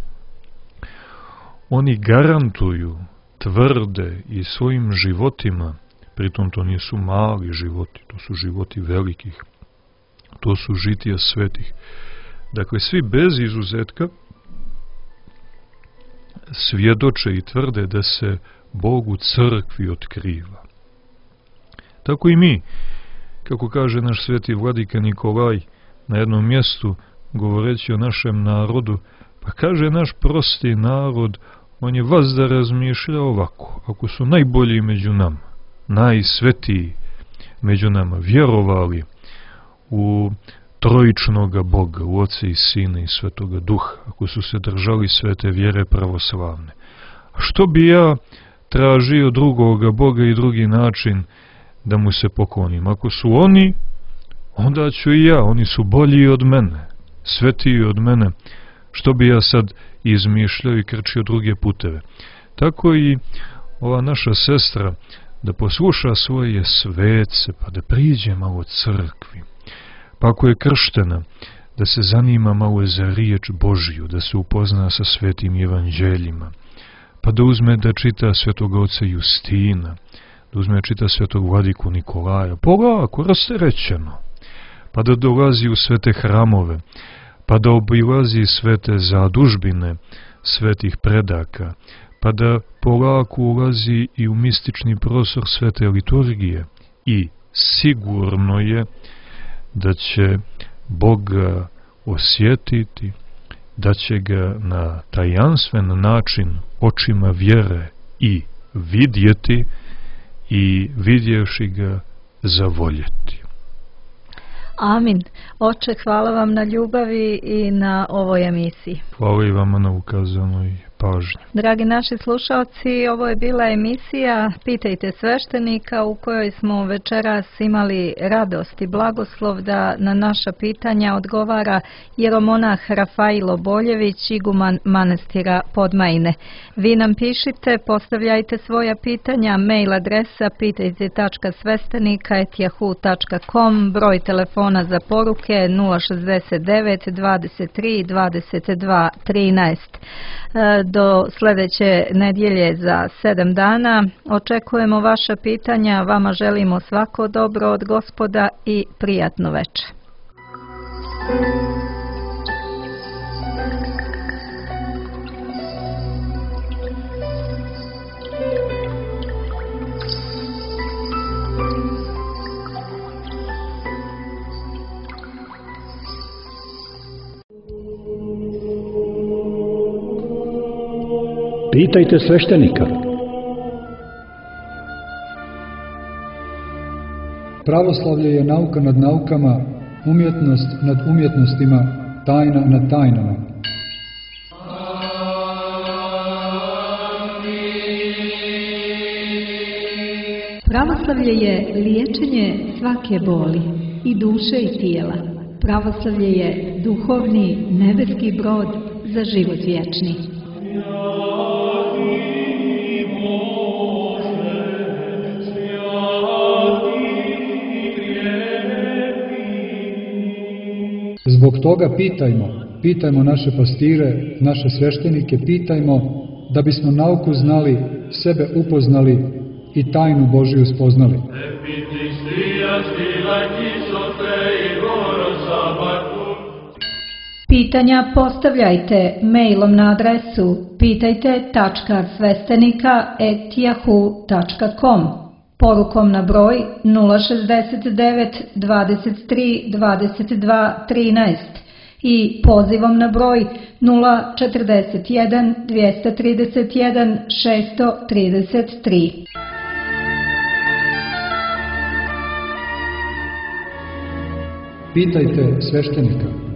oni garantuju, tvrde i svojim životima, pritom to nisu mali životi, to su životi velikih, to su žitija svetih. Dakle, svi bez izuzetka svjedoče i tvrde da se Bog u crkvi otkriva. Tako i mi, kako kaže naš sveti vladika Nikolaj na jednom mjestu, govoreći o našem narodu, pa kaže naš prosti narod, on je vazda razmišlja ovako, ako su najbolji među nama, najsvetiji među nama, vjerovali u trojičnoga Boga, u Oca i Sina i Svetoga Duha, ako su se držali svete vjere pravoslavne. A što bi ja tražio drugoga Boga i drugi način da mu se poklonim? Ako su oni, onda ću i ja, oni su bolji od mene, svetiji od mene, što bi ja sad izmišljao i krčio druge puteve. Tako i ova naša sestra da posluša svoje svece, pa da priđe malo crkvi. Pa ako je krštena, da se zanima malo za riječ Božiju, da se upozna sa svetim evanđeljima, pa da uzme da čita svetoga oca Justina, da uzme da čita svetog vladiku Nikolaja, polako, rasterećeno, pa da dolazi u svete hramove, pa da obilazi svete zadužbine svetih predaka, pa da polako ulazi i u mistični prostor svete liturgije i sigurno je da će Boga osjetiti, da će ga na tajanstven način očima vjere i vidjeti i vidjevši ga zavoljeti. Amin. Oče, hvala vam na ljubavi i na ovoj emisiji. Hvala i vama na ukazanoj pažnju. Dragi naši slušalci, ovo je bila emisija Pitajte sveštenika u kojoj smo večeras imali radost i blagoslov da na naša pitanja odgovara jeromonah Rafailo Boljević, iguman manastira Podmajine. Vi nam pišite, postavljajte svoja pitanja, mail adresa pitajte tačka sveštenika et yahoo tačka com, broj telefona za poruke nula šezdeset devet dvadeset tri dvadeset dva trinaest. Do sljedeće nedjelje za sedam dana očekujemo vaša pitanja, vama želimo svako dobro od Gospoda i prijatno večer. Pitajte sveštenika. Pravoslavlje je nauka nad naukama, umjetnost nad umjetnostima, tajna nad tajnama. Pravoslavlje je liječenje svake boli, i duše i tijela. Pravoslavlje je duhovni, nebeski brod za život vječni. Zbog toga pitajmo, pitajmo naše pastire, naše sveštenike, pitajmo da bismo nauku znali, sebe upoznali i tajnu Božiju spoznali. Pitanja postavljajte mailom na adresu pitajte tačka sveštenika et yahoo tačka com, porukom na broj nula šezdeset devet dvadeset tri dvadeset dva trinaest i pozivom na broj nula četrdeset jedan dvjesto trideset jedan šesto trideset tri. Pitajte sveštenika.